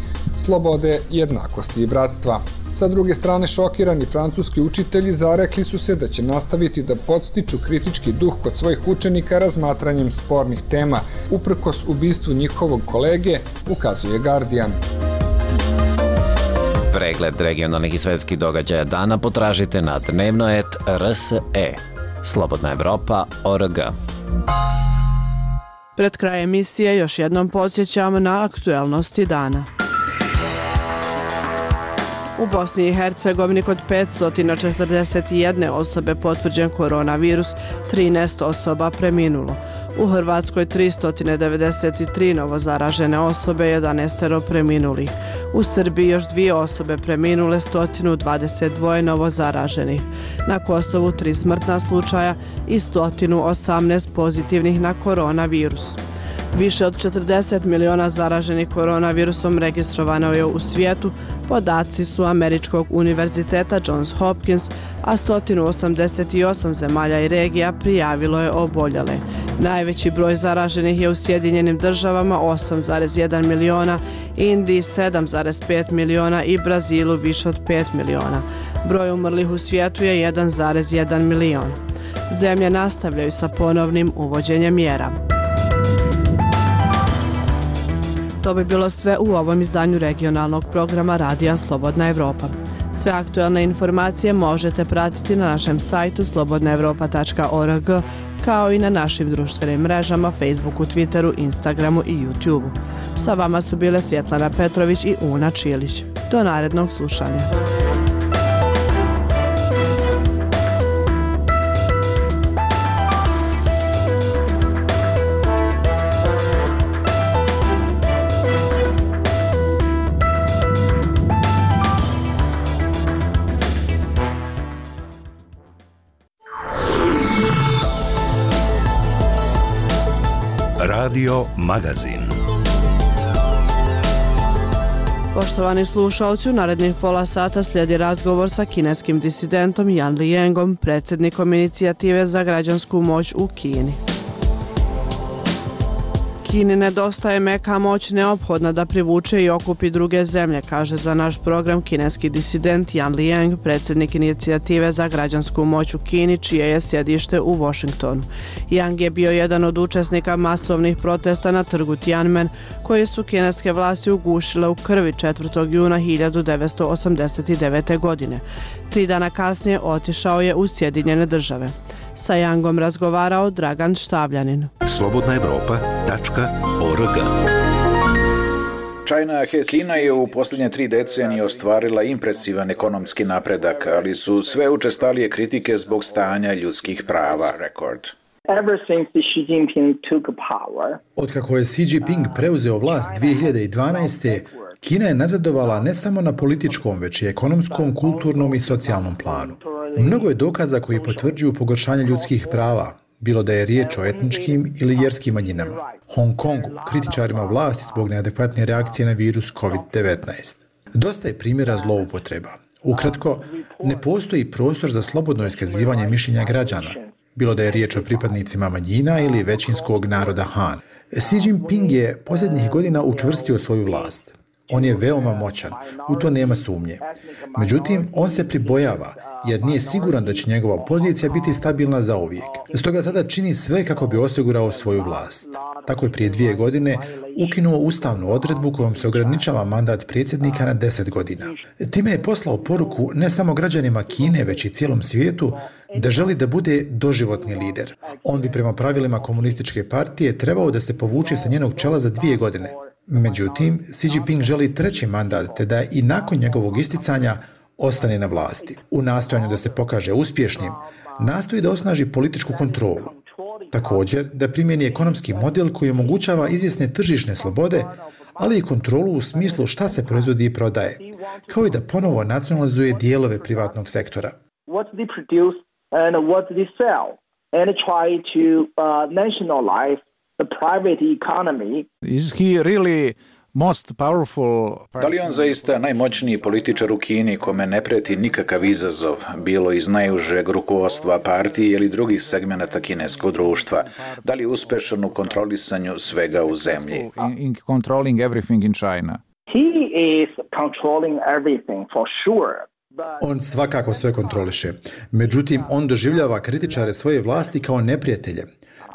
slobode, jednakosti i bratstva. Sa druge strane, šokirani francuski učitelji zarekli su se da će nastaviti da podstiču kritički duh kod svojih učenika razmatranjem spornih tema, uprkos ubistvu njihovog kolege, ukazuje Guardian. Pregled regionalnih i svetskih događaja dana potražite na Dnevnoet RSE. Slobodna Evropa.org. Pred kraj emisije još jednom podsjećamo na aktuelnosti dana. U Bosni i Hercegovini kod 541 osobe potvrđen koronavirus, 13 osoba preminulo. U Hrvatskoj 393 novozaražene osobe, 11 preminulih. U Srbiji još 2 osobe preminule, 122 novozaraženih. Na Kosovu 3 smrtna slučaja i 118 pozitivnih na koronavirus. Više od 40 miliona zaraženih koronavirusom registrovano je u svijetu, podaci su Američkog univerziteta Johns Hopkins, a 188 zemalja i regija prijavilo je oboljele. Najveći broj zaraženih je u Sjedinjenim državama 8,1 miliona, Indiji 7,5 miliona i Brazilu više od 5 miliona. Broj umrlih u svijetu je 1,1 milion. Zemlje nastavljaju sa ponovnim uvođenjem mjera. To bi bilo sve u ovom izdanju regionalnog programa Radija Slobodna Evropa. Sve aktualne informacije možete pratiti na našem sajtu slobodnaevropa.org, kao i na našim društvenim mrežama Facebooku, Twitteru, Instagramu i YouTubeu. Sa vama su bile Svjetlana Petrović i Una Čilić. Do narednog slušanja. Radio Magazin. Poštovani slušalci, u narednih pola sata slijedi razgovor sa kineskim disidentom Yan Liangom, predsjednikom inicijative za građansku moć u Kini. Kini nedostaje meka moć neophodna da privuče i okupi druge zemlje, kaže za naš program kineski disident Yan Liang, predsjednik inicijative za građansku moć u Kini, čije je sjedište u Washingtonu. Yang je bio jedan od učesnika masovnih protesta na trgu Tiananmen, koje su kineske vlasti ugušile u krvi 4. juna 1989. godine. 3 dana kasnije otišao je u Sjedinjene države. Sa Yangom razgovarao Dragan Štavljanin. slobodnaevropa.org. Kina je u posljednje 3 decenije ostvarila impresivan ekonomski napredak, ali su sve učestalije kritike zbog stanja ljudskih prava. Rekord. Otkako je Xi Jinping preuzeo vlast 2012. Kina je nazadovala ne samo na političkom, već i ekonomskom, kulturnom i socijalnom planu. Mnogo je dokaza koji potvrđuju pogoršanje ljudskih prava, bilo da je riječ o etničkim ili vjerskim manjinama. Hong Kongu, kritičarima vlasti zbog neadekvatne reakcije na virus COVID-19. Dosta je primjera zloupotreba. Ukratko, ne postoji prostor za slobodno iskazivanje mišljenja građana, bilo da je riječ o pripadnicima manjina ili većinskog naroda Han. Xi Jinping je posljednjih godina učvrstio svoju vlast. On je veoma moćan, u to nema sumnje. Međutim, on se pribojava, jer nije siguran da će njegova pozicija biti stabilna zauvijek. Stoga sada čini sve kako bi osigurao svoju vlast. Tako je prije 2 godine ukinuo ustavnu odredbu kojom se ograničava mandat predsjednika na 10 godina. Time je poslao poruku ne samo građanima Kine, već i cijelom svijetu da želi da bude doživotni lider. On bi prema pravilima komunističke partije trebao da se povuče sa njenog čela za 2 godine. Međutim, Xi Jinping želi 3. mandat, te da i nakon njegovog isticanja ostane na vlasti. U nastojanju da se pokaže uspješnim, nastoji da osnaži političku kontrolu. Također, da primjeni ekonomski model koji omogućava izvjesne tržišne slobode, ali i kontrolu u smislu šta se proizvodi i prodaje, kao i da ponovo nacionalizuje dijelove privatnog sektora. The private economy. Is he really most powerful? Da li on zaista najmoćniji političar u Kini kome ne preti nikakav izazov, bilo iz najužeg rukovodstva partije ili drugih segmenata kineskog društva? Da li je uspešan u kontrolisanju svega u zemlji? In controlling everything in China. He is controlling everything for sure. On svakako sve kontroliše. Međutim, on doživljava kritičare svoje vlasti kao neprijatelje.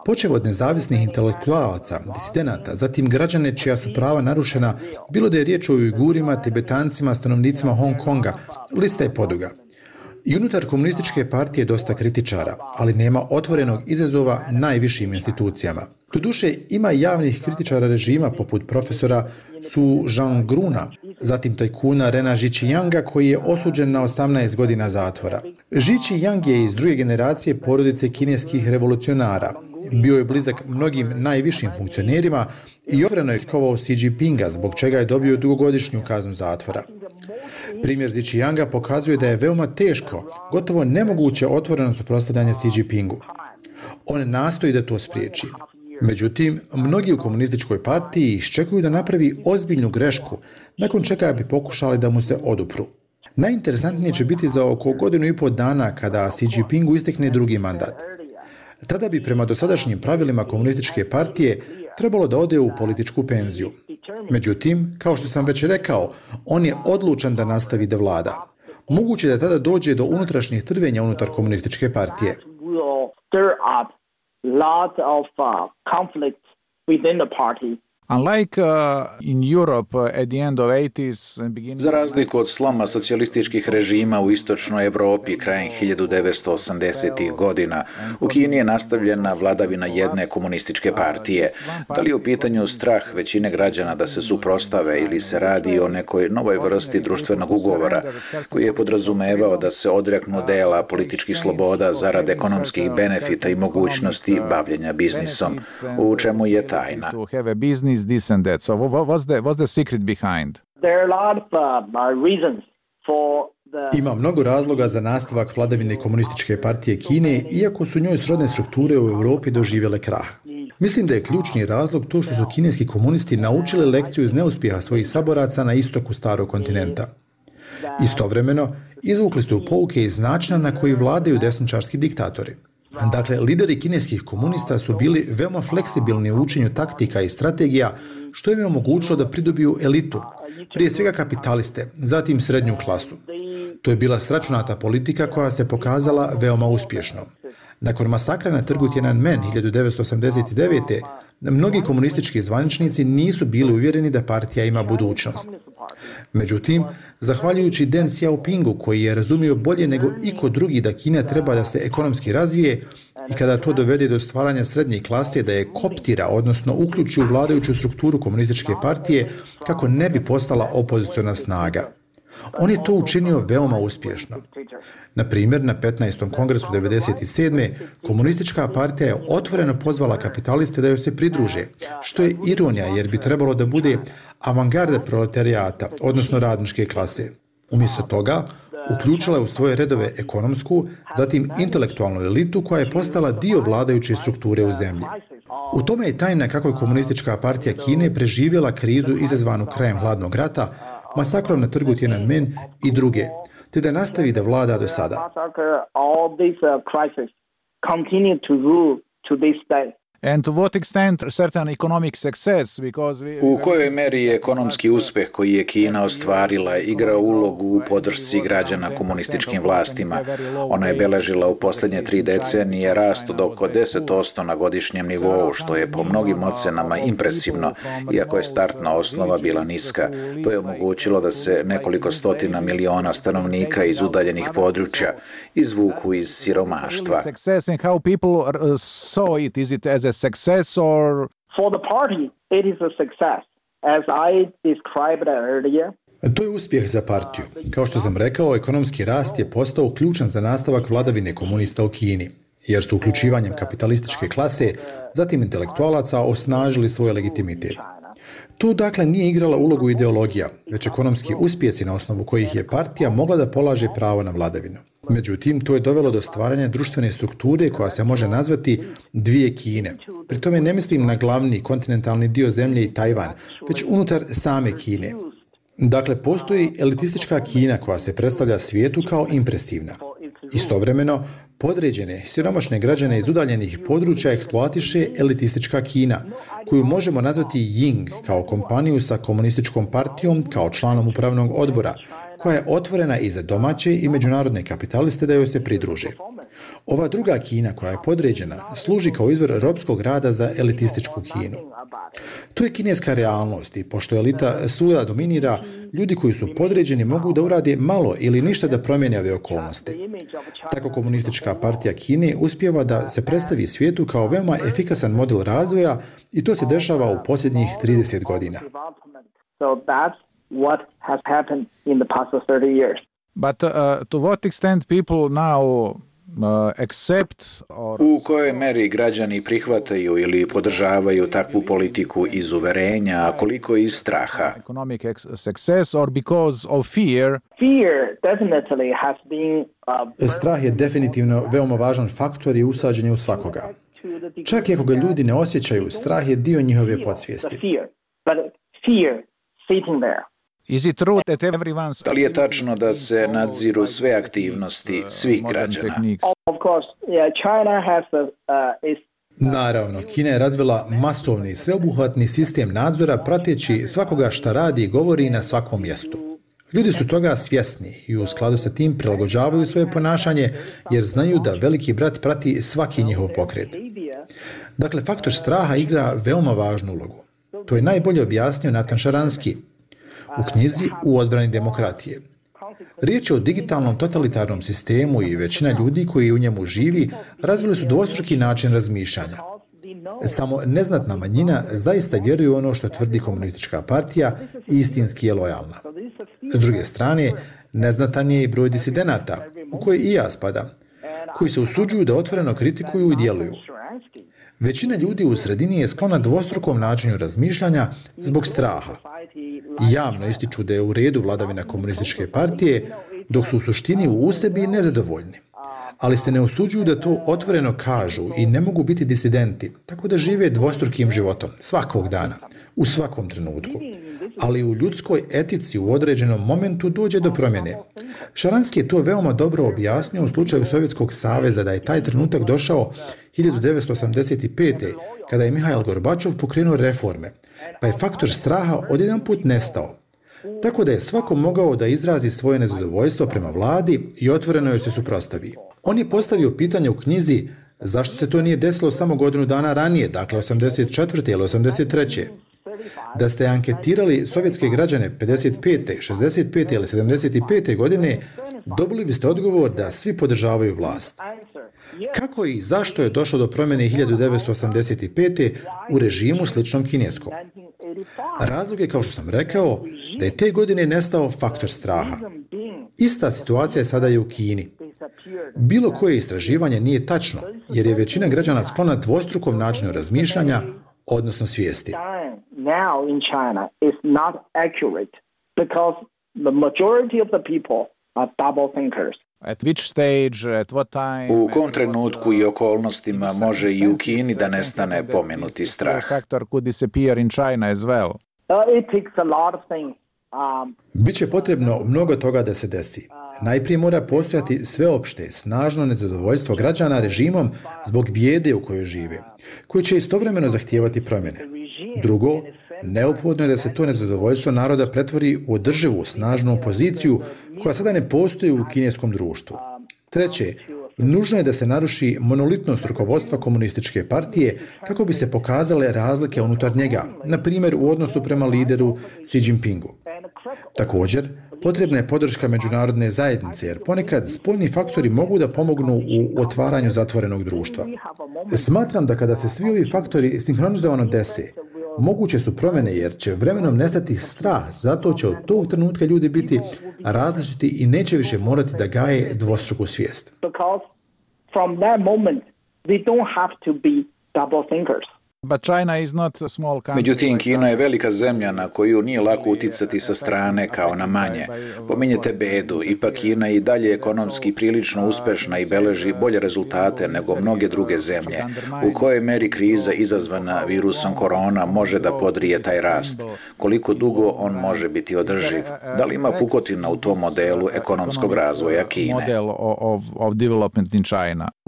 Počev od nezavisnih intelektualaca, disidenata, zatim građane čija su prava narušena, bilo da je riječ o Ujgurima, Tibetancima, stanovnicima Hong Konga, lista je poduga. I unutar komunističke partije dosta kritičara, ali nema otvorenog izazova najvišim institucijama. Doduše, ima javnih kritičara režima poput profesora Su Zhang-gruna, zatim tajkuna Rena Zhiqianga koji je osuđen na 18 godina zatvora. Zhiqiang je iz druge generacije porodice kineskih revolucionara. Bio je blizak mnogim najvišim funkcionerima i otvoreno je krikovao Xi Jinpinga, zbog čega je dobio dugogodišnju kaznu zatvora. Primjer Zhiqianga pokazuje da je veoma teško, gotovo nemoguće otvoreno suprotstavljanje Xi Jinpingu. On nastoji da to spriječi. Međutim, mnogi u komunističkoj partiji iščekuju da napravi ozbiljnu grešku, nakon čega bi pokušali da mu se odupru. Najinteresantnije će biti za oko 1,5 dana kada Xi Jinpingu istekne drugi mandat. Tada bi prema dosadašnjim pravilima komunističke partije trebalo da ode u političku penziju. Međutim, kao što sam već rekao, on je odlučan da nastavi da vlada. Moguće da tada dođe do unutrašnjih trvenja unutar komunističke partije. Lot of conflicts within the party. Unlike in Europe at the end of 80s and beginning... Za razliku od sloma socijalističkih režima u istočnoj Evropi krajem 1980-ih godina, u Kini je nastavljena vladavina jedne komunističke partije. Da li je u pitanju strah većine građana da se suprotstave ili se radi o nekoj novoj vrsti društvenog ugovora koji je podrazumevao da se odreknu dela političkih sloboda zarad ekonomskih benefita i mogućnosti bavljenja biznisom, u čemu je tajna. This and that. So what's the secret behind? There are a lot of reasons for the... Ima mnogo razloga za nastavak vladavine komunističke partije Kine, iako su njoj srodne strukture u Europi doživjele krah. Mislim da je ključni razlog to što su kineski komunisti naučili lekciju iz neuspjeha svojih saboraca na istoku starog kontinenta. Istovremeno, izvukli su pouke iz načina na koji vladaju desničarski diktatori. Dakle, lideri kineskih komunista su bili veoma fleksibilni u učenju taktika i strategija, što im je omogućilo da pridobiju elitu, prije svega kapitaliste, zatim srednju klasu. To je bila sračunata politika koja se pokazala veoma uspješnom. Nakon masakra na trgu Tiananmen 1989. mnogi komunistički zvaničnici nisu bili uvjereni da partija ima budućnost. Međutim, zahvaljujući Deng Xiaopingu koji je razumio bolje nego iko drugi da Kina treba da se ekonomski razvije i kada to dovede do stvaranja srednje klase da je koptira, odnosno uključi u vladajuću strukturu komunističke partije kako ne bi postala opoziciona snaga. On je to učinio veoma uspješno. Na primjer, na 15. kongresu 1997. komunistička partija je otvoreno pozvala kapitaliste da joj se pridruže, što je ironija jer bi trebalo da bude avangarda proletarijata, odnosno radničke klase. Umjesto toga, uključila je u svoje redove ekonomsku, zatim intelektualnu elitu koja je postala dio vladajuće strukture u zemlji. U tome je tajna kako je komunistička partija Kine preživjela krizu izazvanu krajem hladnog rata, masakrom na trgu Tiananmen i druge, te da nastavi da vlada do sada. And to what extent certain economic success, because U kojoj meri je ekonomski uspjeh koji je Kina ostvarila igrao ulogu u podršci građana komunističkim vlastima? Ona je beležila u posljednje 3 decenije rast od oko 10% na godišnjem nivou, što je po mnogim ocenama impresivno, iako je startna osnova bila niska. To je omogućilo da se nekoliko stotina miliona stanovnika iz udaljenih područja izvuku iz siromaštva. Success or for the party it is a success as I described earlier. To je uspjeh za partiju. Kao što sam rekao, ekonomski rast je postao ključan za nastavak vladavine komunista u Kini, jer su uključivanjem kapitalističke klase, zatim intelektualaca, osnažili svoj legitimitet. Tu dakle nije igrala ulogu ideologija, već ekonomski uspjesi na osnovu kojih je partija mogla da polaže pravo na vladavinu. Međutim, to je dovelo do stvaranja društvene strukture koja se može nazvati dvije Kine. Pri tome ne mislim na glavni kontinentalni dio zemlje i Tajvan, već unutar same Kine. Dakle, postoji elitistička Kina koja se predstavlja svijetu kao impresivna. Istovremeno, podređene, siromašne građane iz udaljenih područja eksploatiše elitistička Kina, koju možemo nazvati Ying kao kompaniju sa komunističkom partijom kao članom upravnog odbora, koja je otvorena i za domaće i međunarodne kapitaliste da joj se pridruže. Ova druga Kina koja je podređena služi kao izvor ropskog rada za elitističku Kinu. To je kineska realnost i pošto elita svuda dominira, ljudi koji su podređeni mogu da urade malo ili ništa da promijene ove okolnosti. Tako komunistička partija Kine uspijeva da se predstavi svijetu kao veoma efikasan model razvoja i to se dešava u posljednjih 30 godina. But to what extent people now accept or... U kojoj meri građani prihvataju ili podržavaju takvu politiku iz uverenja, a koliko iz straha? Economic success or because of fear? Strah je definitivno veoma važan faktor i usađen je u svakoga. Čak i ako ga ljudi ne osjećaju, strah je dio njihove podsvijesti. Da li je tačno da se nadziru sve aktivnosti svih građana? Naravno, Kina je razvila masovni i sveobuhvatni sistem nadzora prateći svakoga šta radi i govori na svakom mjestu. Ljudi su toga svjesni i u skladu sa tim prilagođavaju svoje ponašanje jer znaju da veliki brat prati svaki njihov pokret. Dakle, faktor straha igra veoma važnu ulogu. To je najbolje objasnio Nathan Sharansky u knjizi U odbrani demokratije. Riječ je o digitalnom totalitarnom sistemu i većina ljudi koji u njemu živi razvili su dvostruki način razmišljanja. Samo neznatna manjina zaista vjeruje u ono što tvrdi komunistička partija i istinski je lojalna. S druge strane, neznatan je i broj disidenata, u koje i ja spadam, koji se usuđuju da otvoreno kritikuju i djeluju. Većina ljudi u sredini je sklona dvostrukom načinu razmišljanja zbog straha. Javno ističu da je u redu vladavina komunističke partije, dok su u suštini u sebi nezadovoljni. Ali se ne usuđuju da to otvoreno kažu i ne mogu biti disidenti, tako da žive dvostrukim životom, svakog dana, u svakom trenutku. Ali u ljudskoj etici u određenom momentu dođe do promjene. Sharansky je to veoma dobro objasnio u slučaju Sovjetskog saveza da je taj trenutak došao 1985. kada je Mihail Gorbačov pokrenuo reforme, pa je faktor straha odjedanput nestao. Tako da je svako mogao da izrazi svoje nezadovoljstvo prema vladi i otvoreno joj se suprotstavi. On je postavio pitanje u knjizi zašto se to nije desilo samo godinu dana ranije, dakle 84. ili 83. Da ste anketirali sovjetske građane 55., 65. ili 75. godine, dobili biste odgovor da svi podržavaju vlast. Kako i zašto je došlo do promjene 1985. u režimu sličnom kineskom? Razlog je, kao što sam rekao, da je te godine nestao faktor straha. Ista situacija je sada i u Kini. Bilo koje istraživanje nije tačno, jer je većina građana sklona dvostrukom načinu razmišljanja, odnosno svijesti. U kom trenutku i okolnostima može i u Kini da nestane pomenuti strah? Biće potrebno mnogo toga da se desi. Najprije mora postojati sveopšte, snažno nezadovoljstvo građana režimom zbog bijede u kojoj žive, koji će istovremeno zahtijevati promjene. Drugo, neophodno je da se to nezadovoljstvo naroda pretvori u održivu, snažnu opoziciju koja sada ne postoji u kineskom društvu. Treće, nužno je da se naruši monolitnost rukovodstva komunističke partije kako bi se pokazale razlike unutar njega, na primjer u odnosu prema lideru Xi Jinpingu. Također, potrebna je podrška međunarodne zajednice, jer ponekad spoljni faktori mogu da pomognu u otvaranju zatvorenog društva. Smatram da kada se svi ovi faktori sinhronizovano dese, moguće su promjene jer će vremenom nestati strah, zato će od tog trenutka ljudi biti različiti i neće više morati da gaje dvostruku svijest. Međutim, Kina je velika zemlja na koju nije lako uticati sa strane kao na manje. Pominjete bedu, ipak Kina je i dalje ekonomski prilično uspešna i beleži bolje rezultate nego mnoge druge zemlje. U kojoj meri kriza izazvana virusom korona može da podrije taj rast? Koliko dugo on može biti održiv? Da li ima pukotina u tom modelu ekonomskog razvoja Kine?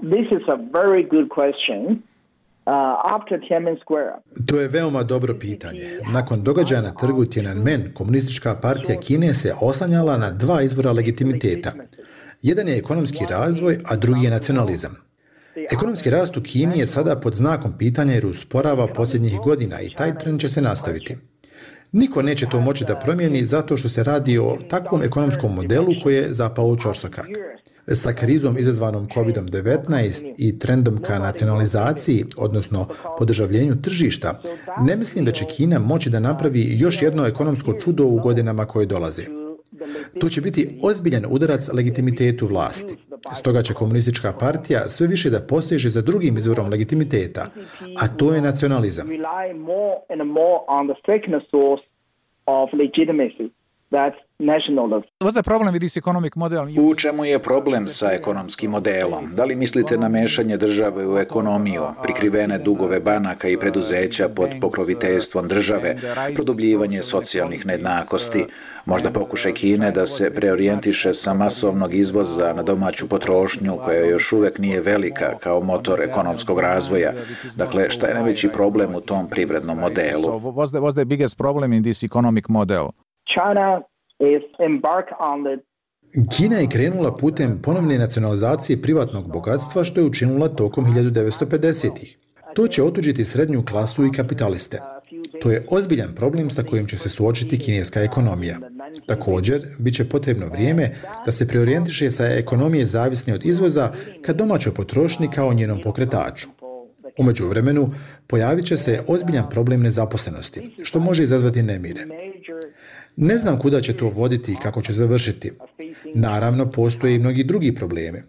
This is a very good question. To je veoma dobro pitanje. Nakon događaja na trgu Tiananmen, komunistička partija Kine se oslanjala na dva izvora legitimiteta. Jedan je ekonomski razvoj, a drugi je nacionalizam. Ekonomski rast u Kini je sada pod znakom pitanja jer usporava posljednjih godina i taj trend će se nastaviti. Niko neće to moći da promijeni zato što se radi o takvom ekonomskom modelu koji je zapao u ćorsokak. Sa krizom izazvanom COVID-19 i trendom ka nacionalizaciji, odnosno podržavljenju tržišta, ne mislim da će Kina moći da napravi još jedno ekonomsko čudo u godinama koje dolaze. To će biti ozbiljan udarac legitimitetu vlasti. Stoga će komunistička partija sve više da poseže za drugim izvorom legitimiteta, a to je nacionalizam. U čemu je problem sa ekonomskim modelom? Da li mislite na mešanje države u ekonomiju, prikrivene dugove banaka i preduzeća pod pokroviteljstvom države, produbljivanje socijalnih nejednakosti, možda pokušaj Kine da se preorijentiše sa masovnog izvoza na domaću potrošnju koja još uvek nije velika kao motor ekonomskog razvoja? Dakle, šta je najveći problem u tom privrednom modelu? Kina je krenula putem ponovne nacionalizacije privatnog bogatstva što je učinila tokom 1950-ih. To će otuđiti srednju klasu i kapitaliste. To je ozbiljan problem sa kojim će se suočiti kineska ekonomija. Također, bit će potrebno vrijeme da se preorijentiše sa ekonomije zavisne od izvoza ka domaćoj potrošnji kao njenom pokretaču. U međuvremenu, pojavit će se ozbiljan problem nezaposlenosti, što može izazvati nemire. Ne znam kuda će to voditi i kako će završiti. Naravno, postoje i mnogi drugi problemi.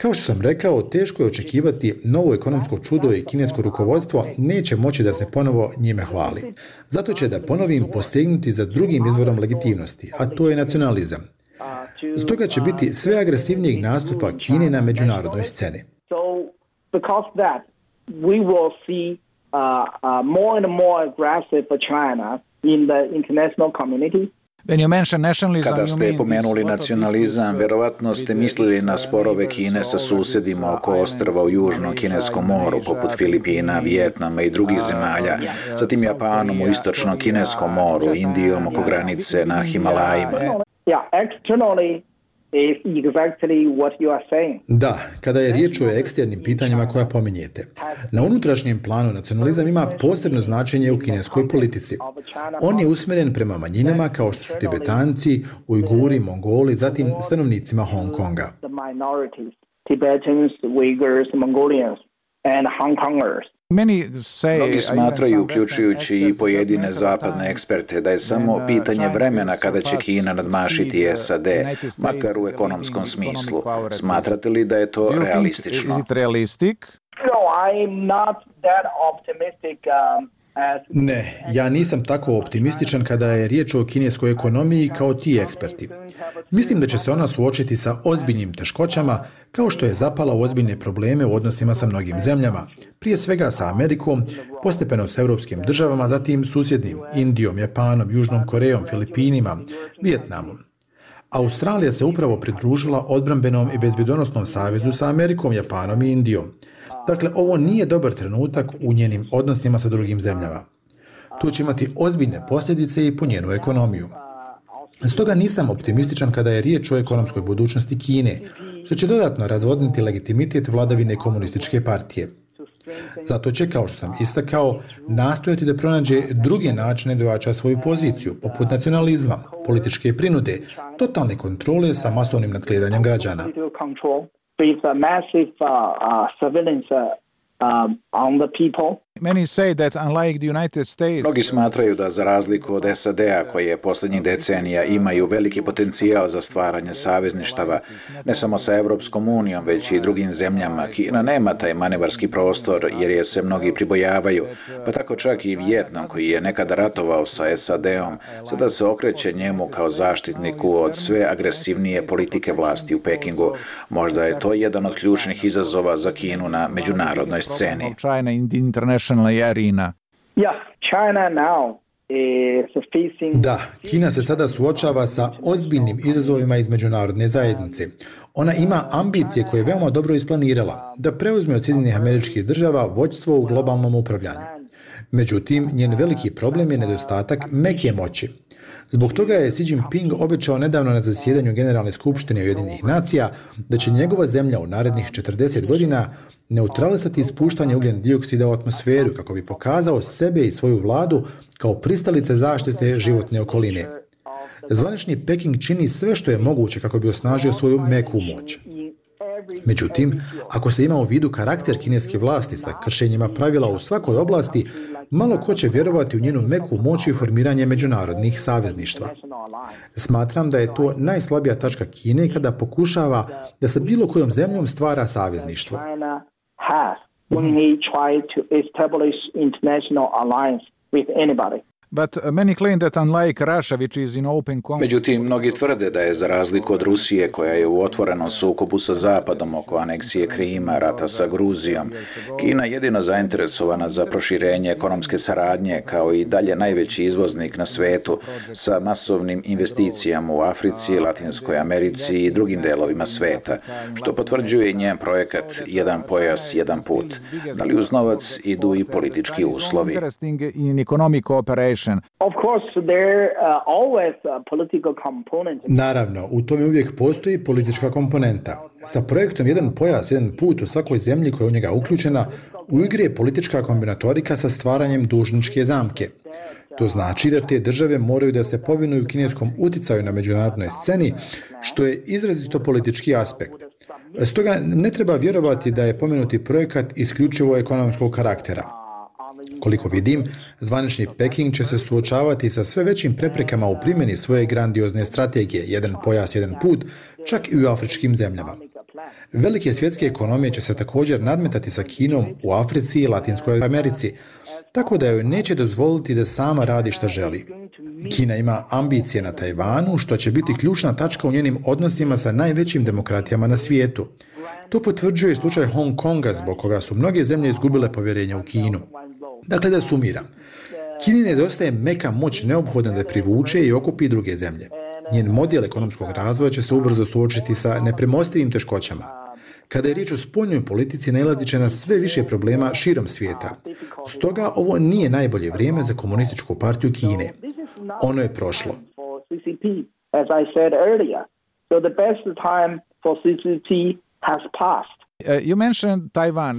Kao što sam rekao, teško je očekivati novo ekonomsko čudo i kinesko rukovodstvo neće moći da se ponovo njime hvali. Zato će, da ponovim, posegnuti za drugim izvorom legitimnosti, a to je nacionalizam. Stoga će biti sve agresivnijeg nastupa Kine na međunarodnoj sceni. Kada ste pomenuli nacionalizam, verovatno ste mislili na sporove Kine sa susedima oko ostrva u Južnom Kineskom moru, poput Filipina, Vijetnama i drugih zemalja, zatim Japanom u Istočnom Kineskom moru, Indijom oko granice na Himalajima. Da, kada je riječ o eksternim pitanjima koja pominjete. Na unutrašnjem planu nacionalizam ima posebno značenje u kineskoj politici. On je usmjeren prema manjinama kao što su Tibetanci, Ujguri, Mongoli, zatim stanovnicima Hong Konga. Mnogi smatraju, uključujući i pojedine zapadne eksperte, da je samo pitanje vremena kada će Kina nadmašiti SAD, makar u ekonomskom smislu. Smatrate li da je to realistično? Ne, ja nisam tako optimističan kada je riječ o kineskoj ekonomiji kao ti eksperti. Mislim da će se ona suočiti sa ozbiljnim teškoćama, kao što je zapala u ozbiljne probleme u odnosima sa mnogim zemljama, prije svega sa Amerikom, postepeno s europskim državama, zatim susjednim Indijom, Japanom, Južnom Korejom, Filipinima, Vijetnamom. Australija se upravo pridružila odbrambenom i bezbjedonosnom savezu sa Amerikom, Japanom i Indijom. Dakle, ovo nije dobar trenutak u njenim odnosima sa drugim zemljama. To će imati ozbiljne posljedice i po njenu ekonomiju. Stoga nisam optimističan kada je riječ o ekonomskoj budućnosti Kine, što će dodatno razvodniti legitimitet vladavine komunističke partije. Zato će, kao što sam istakao, nastojati da pronađe druge načine da ojača svoju poziciju, poput nacionalizma, političke prinude, totalne kontrole sa masovnim nadgledanjem građana. Mnogi smatraju da, za razliku od SAD-a, koje posljednjih decenija imaju veliki potencijal za stvaranje savezništava, ne samo sa Evropskom unijom, već i drugim zemljama, Kina nema taj manevarski prostor jer je se mnogi pribojavaju, pa tako čak i Vijetnam, koji je nekada ratovao sa SAD-om, sada se okreće njemu kao zaštitniku od sve agresivnije politike vlasti u Pekingu. Možda je to jedan od ključnih izazova za Kinu na međunarodnoj sceni. Da, Kina se sada suočava sa ozbiljnim izazovima iz međunarodne zajednice. Ona ima ambicije koje je veoma dobro isplanirala, da preuzme od Sjedinjenih Američkih Država vođstvo u globalnom upravljanju. Međutim, njen veliki problem je nedostatak meke moći. Zbog toga je Xi Jinping obećao nedavno na zasjedanju Generalne skupštine Ujedinjenih nacija da će njegova zemlja u narednih 40 godina neutralisati ispuštanje ugljen dioksida u atmosferu kako bi pokazao sebe i svoju vladu kao pristalice zaštite životne okoline. Zvanični Peking čini sve što je moguće kako bi osnažio svoju meku moć. Međutim, ako se ima u vidu karakter kineske vlasti sa kršenjima pravila u svakoj oblasti, malo ko će vjerovati u njenu meku moć i formiranje međunarodnih savezništva. Smatram da je to najslabija tačka Kine kada pokušava da sa bilo kojom zemljom stvara savezništvo. Međutim, mnogi tvrde da je za razliku od Rusije, koja je u otvorenom sukobu sa Zapadom oko aneksije Krima, rata sa Gruzijom, Kina jedino zainteresovana za proširenje ekonomske saradnje kao i dalje najveći izvoznik na svetu sa masovnim investicijama u Africi, Latinskoj Americi i drugim delovima sveta, što potvrđuje i njen projekat Jedan pojas, jedan put. Da li uz novac idu i politički uslovi? Naravno, u tome uvijek postoji politička komponenta. Sa projektom Jedan pojas, jedan put u svakoj zemlji koja je u njega uključena, u igri je politička kombinatorika sa stvaranjem dužničke zamke. To znači da te države moraju da se povinuju kineskom uticaju na međunarodnoj sceni, što je izrazito politički aspekt. Stoga ne treba vjerovati da je pomenuti projekat isključivo ekonomskog karaktera. Koliko vidim, zvanični Peking će se suočavati sa sve većim preprekama u primjeni svoje grandiozne strategije Jedan pojas, jedan put, čak i u afričkim zemljama. Velike svjetske ekonomije će se također nadmetati sa Kinom u Africi i Latinskoj Americi, tako da joj neće dozvoliti da sama radi šta želi. Kina ima ambicije na Tajvanu, što će biti ključna tačka u njenim odnosima sa najvećim demokratijama na svijetu. To potvrđuje slučaj Hong Konga, zbog koga su mnoge zemlje izgubile povjerenje u Kinu. Dakle, da sumiram. Kini nedostaje meka moć neophodna da privuče i okupi druge zemlje. Njen model ekonomskog razvoja će se ubrzo suočiti sa nepremostivim teškoćama. Kada je riječ o spoljnoj politici, nailazit će na sve više problema širom svijeta. Stoga ovo nije najbolje vrijeme za Komunističku partiju Kine. Ono je prošlo.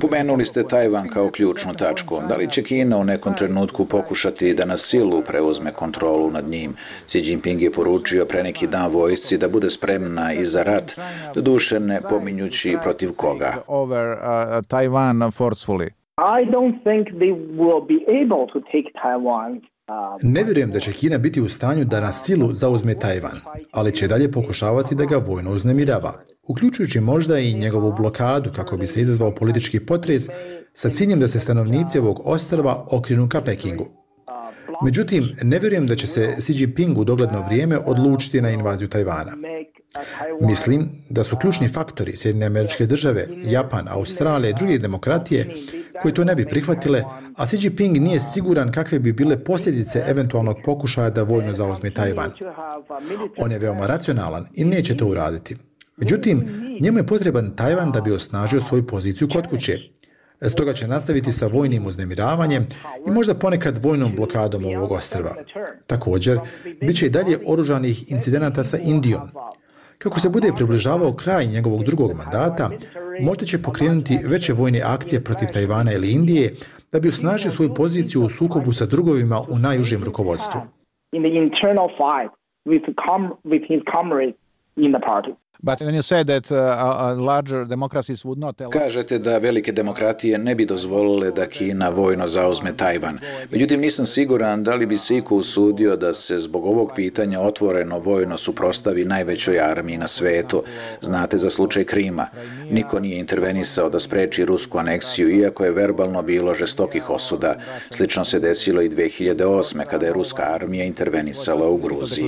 Pomenuli ste Tajvan kao ključnu tačku. Da li će Kina u nekom trenutku pokušati da na silu preuzme kontrolu nad njim? Xi Jinping je poručio pre neki dan vojsci da bude spremna i za rat, doduše ne pominjući protiv koga. Ne vjerujem da će Kina biti u stanju da na silu zauzme Tajvan, ali će dalje pokušavati da ga vojno uznemirava, uključujući možda i njegovu blokadu kako bi se izazvao politički potres sa ciljem da se stanovnici ovog ostrva okrenu ka Pekingu. Međutim, ne vjerujem da će se Xi Jinping u dogledno vrijeme odlučiti na invaziju Tajvana. Mislim da su ključni faktori Sjedinjene Američke Države, Japan, Australija i druge demokratije koji to ne bi prihvatile, a Xi Jinping nije siguran kakve bi bile posljedice eventualnog pokušaja da vojno zauzme Tajvan. On je veoma racionalan i neće to uraditi. Međutim, njemu je potreban Tajvan da bi osnažio svoju poziciju kod kuće. Stoga će nastaviti sa vojnim uznemiravanjem i možda ponekad vojnom blokadom ovog ostrva. Također, bit će i dalje oružanih incidenata sa Indijom. Kako se bude približavao kraj njegovog drugog mandata, možda će pokrenuti veće vojne akcije protiv Tajvana ili Indije da bi osnažio svoju poziciju u sukobu sa drugovima u najužem rukovodstvu. Kažete da velike demokratije ne bi dozvolile da Kina vojno zauzme Tajvan. Međutim, nisam siguran da li bi se iko usudio da se zbog ovog pitanja otvoreno vojno suprotstavi najvećoj armiji na svetu. Znate za slučaj Krima. Niko nije intervenisao da spreči rusku aneksiju, iako je verbalno bilo žestokih osuda. Slično se desilo i 2008. kada je ruska armija intervenisala u Gruziji.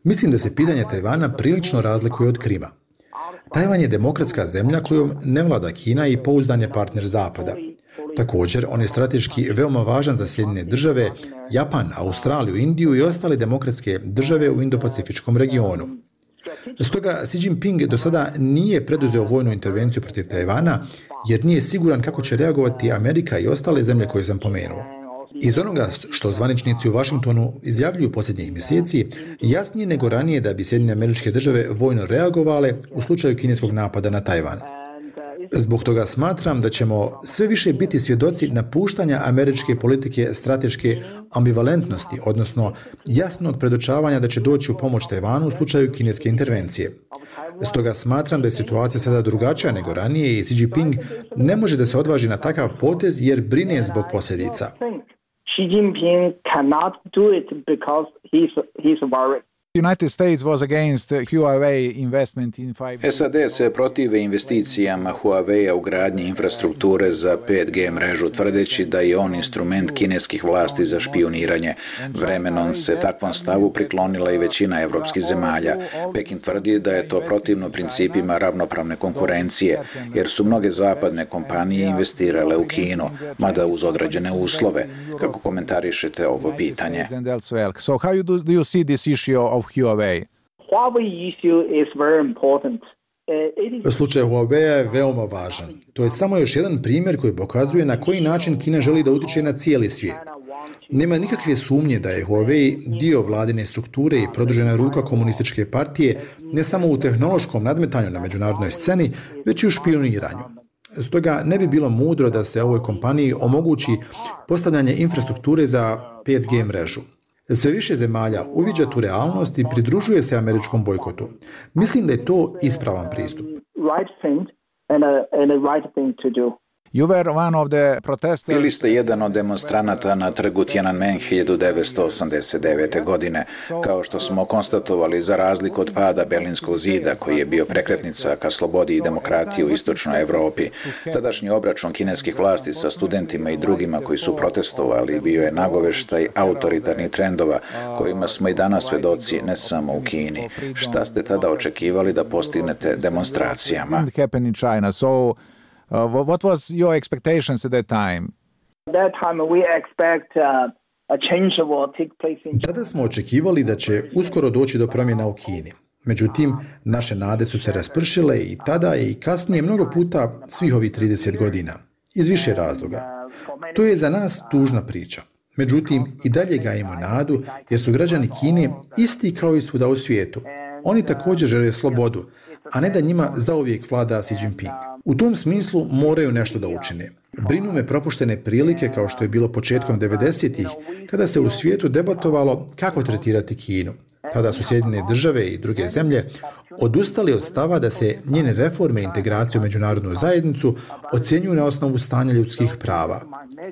Mislim da se pitanje Tajvana prilično razlikuje od Krima. Tajvan je demokratska zemlja kojom ne vlada Kina i pouzdan je partner Zapada. Također, on je strateški veoma važan za Sjedinjene države, Japan, Australiju, Indiju i ostale demokratske države u Indo-Pacifičkom regionu. Stoga Xi Jinping do sada nije preduzeo vojnu intervenciju protiv Tajvana, jer nije siguran kako će reagovati Amerika i ostale zemlje koje sam pomenuo. Iz onoga što zvaničnici u Washingtonu izjavljuju posljednjih mjeseci, jasnije nego ranije da bi Sjedinjene Američke Države vojno reagovale u slučaju kineskog napada na Tajvan. Zbog toga smatram da ćemo sve više biti svjedoci napuštanja američke politike strateške ambivalentnosti, odnosno jasnog predočavanja da će doći u pomoć Tajvanu u slučaju kineske intervencije. Stoga smatram da je situacija sada drugačija nego ranije i Xi Jinping ne može da se odvaži na takav potez jer brine zbog posljedica. Xi Jinping cannot do it because he's worried. United States was against Huawei investment in 5G. SAD se protive investicijama Huawei-a u gradnji infrastrukture za 5G mrežu, tvrdeći da je on instrument kineskih vlasti za špijuniranje. Vremenom se takvom stavu priklonila i većina evropskih zemalja. Peking tvrdi da je to protivno principima ravnopravne konkurencije, jer su mnoge zapadne kompanije investirale u Kinu, mada uz određene uslove. Kako komentarišete ovo pitanje? So how do you see this issue of Huawei? Huawei issue is very important. Slučaj Huawei je veoma važan. To je samo još jedan primjer koji pokazuje na koji način Kina želi da utiče na cijeli svijet. Nema nikakve sumnje da je Huawei dio vladine strukture i produžena ruka komunističke partije ne samo u tehnološkom nadmetanju na međunarodnoj sceni, već i u špijuniranju. Stoga ne bi bilo mudro da se ovoj kompaniji omogući postavljanje infrastrukture za 5G mrežu. Sve više zemalja uviđa tu realnost i pridružuje se američkom bojkotu. Mislim da je to ispravan pristup. Bili ste jedan od demonstranata na trgu Tiananmen 1989. godine. Kao što smo konstatovali, za razliku od pada Berlinskog zida, koji je bio prekretnica ka slobodi i demokratiji u istočnoj Evropi, tadašnji obračun kineskih vlasti sa studentima i drugima koji su protestovali bio je nagoveštaj autoritarnih trendova, kojima smo i danas svedoci ne samo u Kini. Šta ste tada očekivali da postignete demonstracijama? What was your expectations at that time? That time we expect a change will take place in. Tada smo očekivali da će uskoro doći do promjena u Kini. Međutim, naše nade su se raspršile i tada i kasnije mnogo puta svih ovih 30 godina. Iz više razloga. To je za nas tužna priča. Međutim, i dalje gajimo nadu jer su građani Kine isti kao i svuda u svijetu. Oni također žele slobodu, a ne da njima zauvijek vlada Xi Jinping. U tom smislu moraju nešto da učine. Brinu me propuštene prilike kao što je bilo početkom 90-ih, kada se u svijetu debatovalo kako tretirati Kinu. Tada su Sjedinjene države i druge zemlje odustali od stava da se njene reforme i integracije u međunarodnu zajednicu ocjenjuju na osnovu stanja ljudskih prava.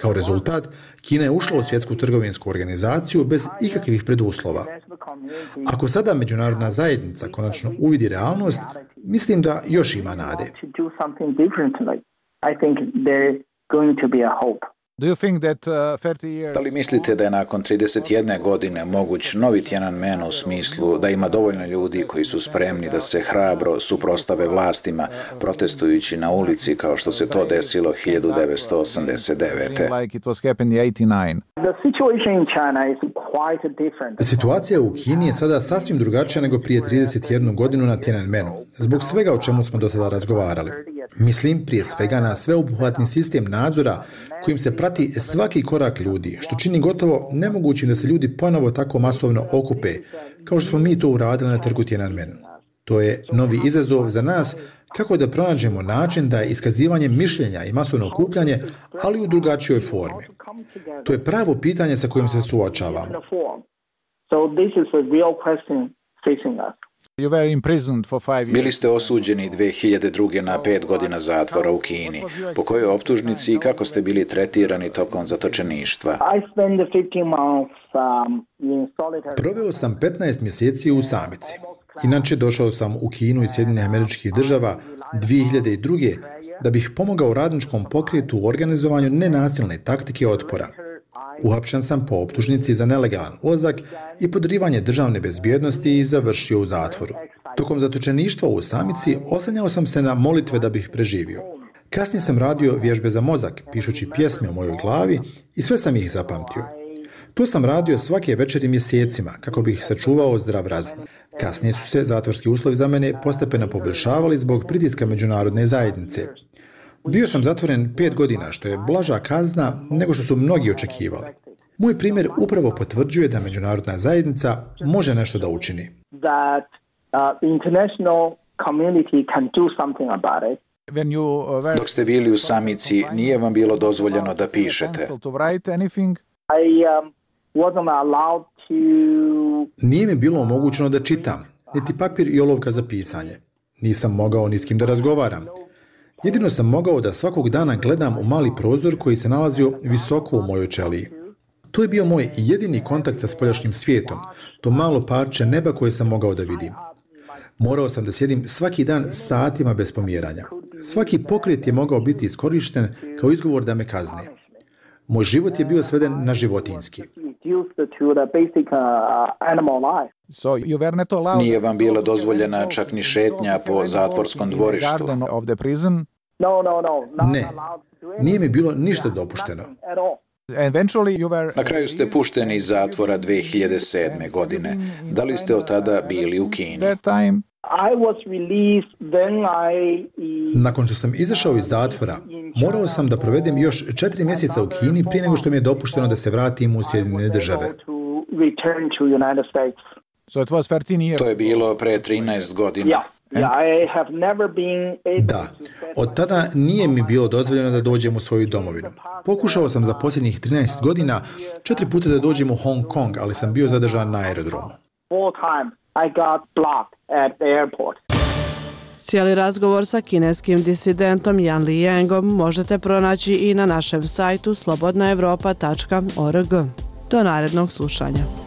Kao rezultat, Kina je ušla u svjetsku trgovinsku organizaciju bez ikakvih preduslova. Ako sada međunarodna zajednica konačno uvidi realnost, mislim da još ima nade. Da li mislite da je nakon 31 godine moguć novi Tiananmen u smislu da ima dovoljno ljudi koji su spremni da se hrabro suprotstave vlastima protestujući na ulici kao što se to desilo 1989. Situacija u Kini je sada sasvim drugačija nego prije 31 godinu na Tiananmenu, zbog svega o čemu smo do sada razgovarali. Mislim prije svega na sveobuhvatni sistem nadzora kojim se prati svaki korak ljudi, što čini gotovo nemogućim da se ljudi ponovo tako masovno okupe, kao što smo mi to uradili na trgu Tiananmen. To je novi izazov za nas kako da pronađemo način da iskazivanje mišljenja i masovno okupljanje, ali u drugačijoj formi. To je pravo pitanje sa kojim se suočavamo. Bili ste osuđeni 2002. na 5 godina zatvora u Kini. Po kojoj optužnici i kako ste bili tretirani tokom zatočeništva? Proveo sam 15 mjeseci u samici. Inače, došao sam u Kinu iz Sjedinjenih Američkih Država 2002. da bih pomogao radničkom pokretu u organizovanju nenasilne taktike otpora. Uhapšen sam po optužnici za nelegalan ulazak i podrivanje državne bezbjednosti i završio u zatvoru. Tokom zatočeništva u samici oslanjao sam se na molitve da bih preživio. Kasnije sam radio vježbe za mozak, pišući pjesme o mojoj glavi i sve sam ih zapamtio. To sam radio svake večeri mjesecima kako bih sačuvao zdrav razum. Kasnije su se zatvorski uslovi za mene postepeno poboljšavali zbog pritiska međunarodne zajednice. Bio sam zatvoren 5 godina, što je blaža kazna nego što su mnogi očekivali. Moj primjer upravo potvrđuje da međunarodna zajednica može nešto da učini. Dok ste bili u samici, nije vam bilo dozvoljeno da pišete. Nije mi bilo omogućeno da čitam, niti papir i olovka za pisanje. Nisam mogao ni s kim da razgovaram. Jedino sam mogao da svakog dana gledam u mali prozor koji se nalazio visoko u mojoj ćeliji. To je bio moj jedini kontakt sa spoljašnjim svijetom, to malo parče neba koje sam mogao da vidim. Morao sam da sjedim svaki dan satima bez pomjeranja. Svaki pokret je mogao biti iskorišten kao izgovor da me kazne. Moj život je bio sveden na životinjski. Nije vam bila dozvoljena čak ni šetnja po zatvorskom dvorištu. Ne, nije mi bilo ništa dopušteno. Na kraju ste pušteni iz zatvora 2007. godine. Da li ste od tada bili u Kini? Nakon što sam izašao iz zatvora, morao sam da provedem još 4 mjeseca u Kini prije nego što mi je dopušteno da se vratim u Sjedinjene Države. To je bilo pre 13 godina. Da, od tada nije mi bilo dozvoljeno da dođem u svoju domovinu. Pokušao sam za posljednjih 13 godina 4 puta da dođem u Hong Kong, ali sam bio zadržan na aerodromu. Cijeli razgovor sa kineskim disidentom Yan Liyangom možete pronaći i na našem sajtu slobodnaevropa.org. Do narednog slušanja.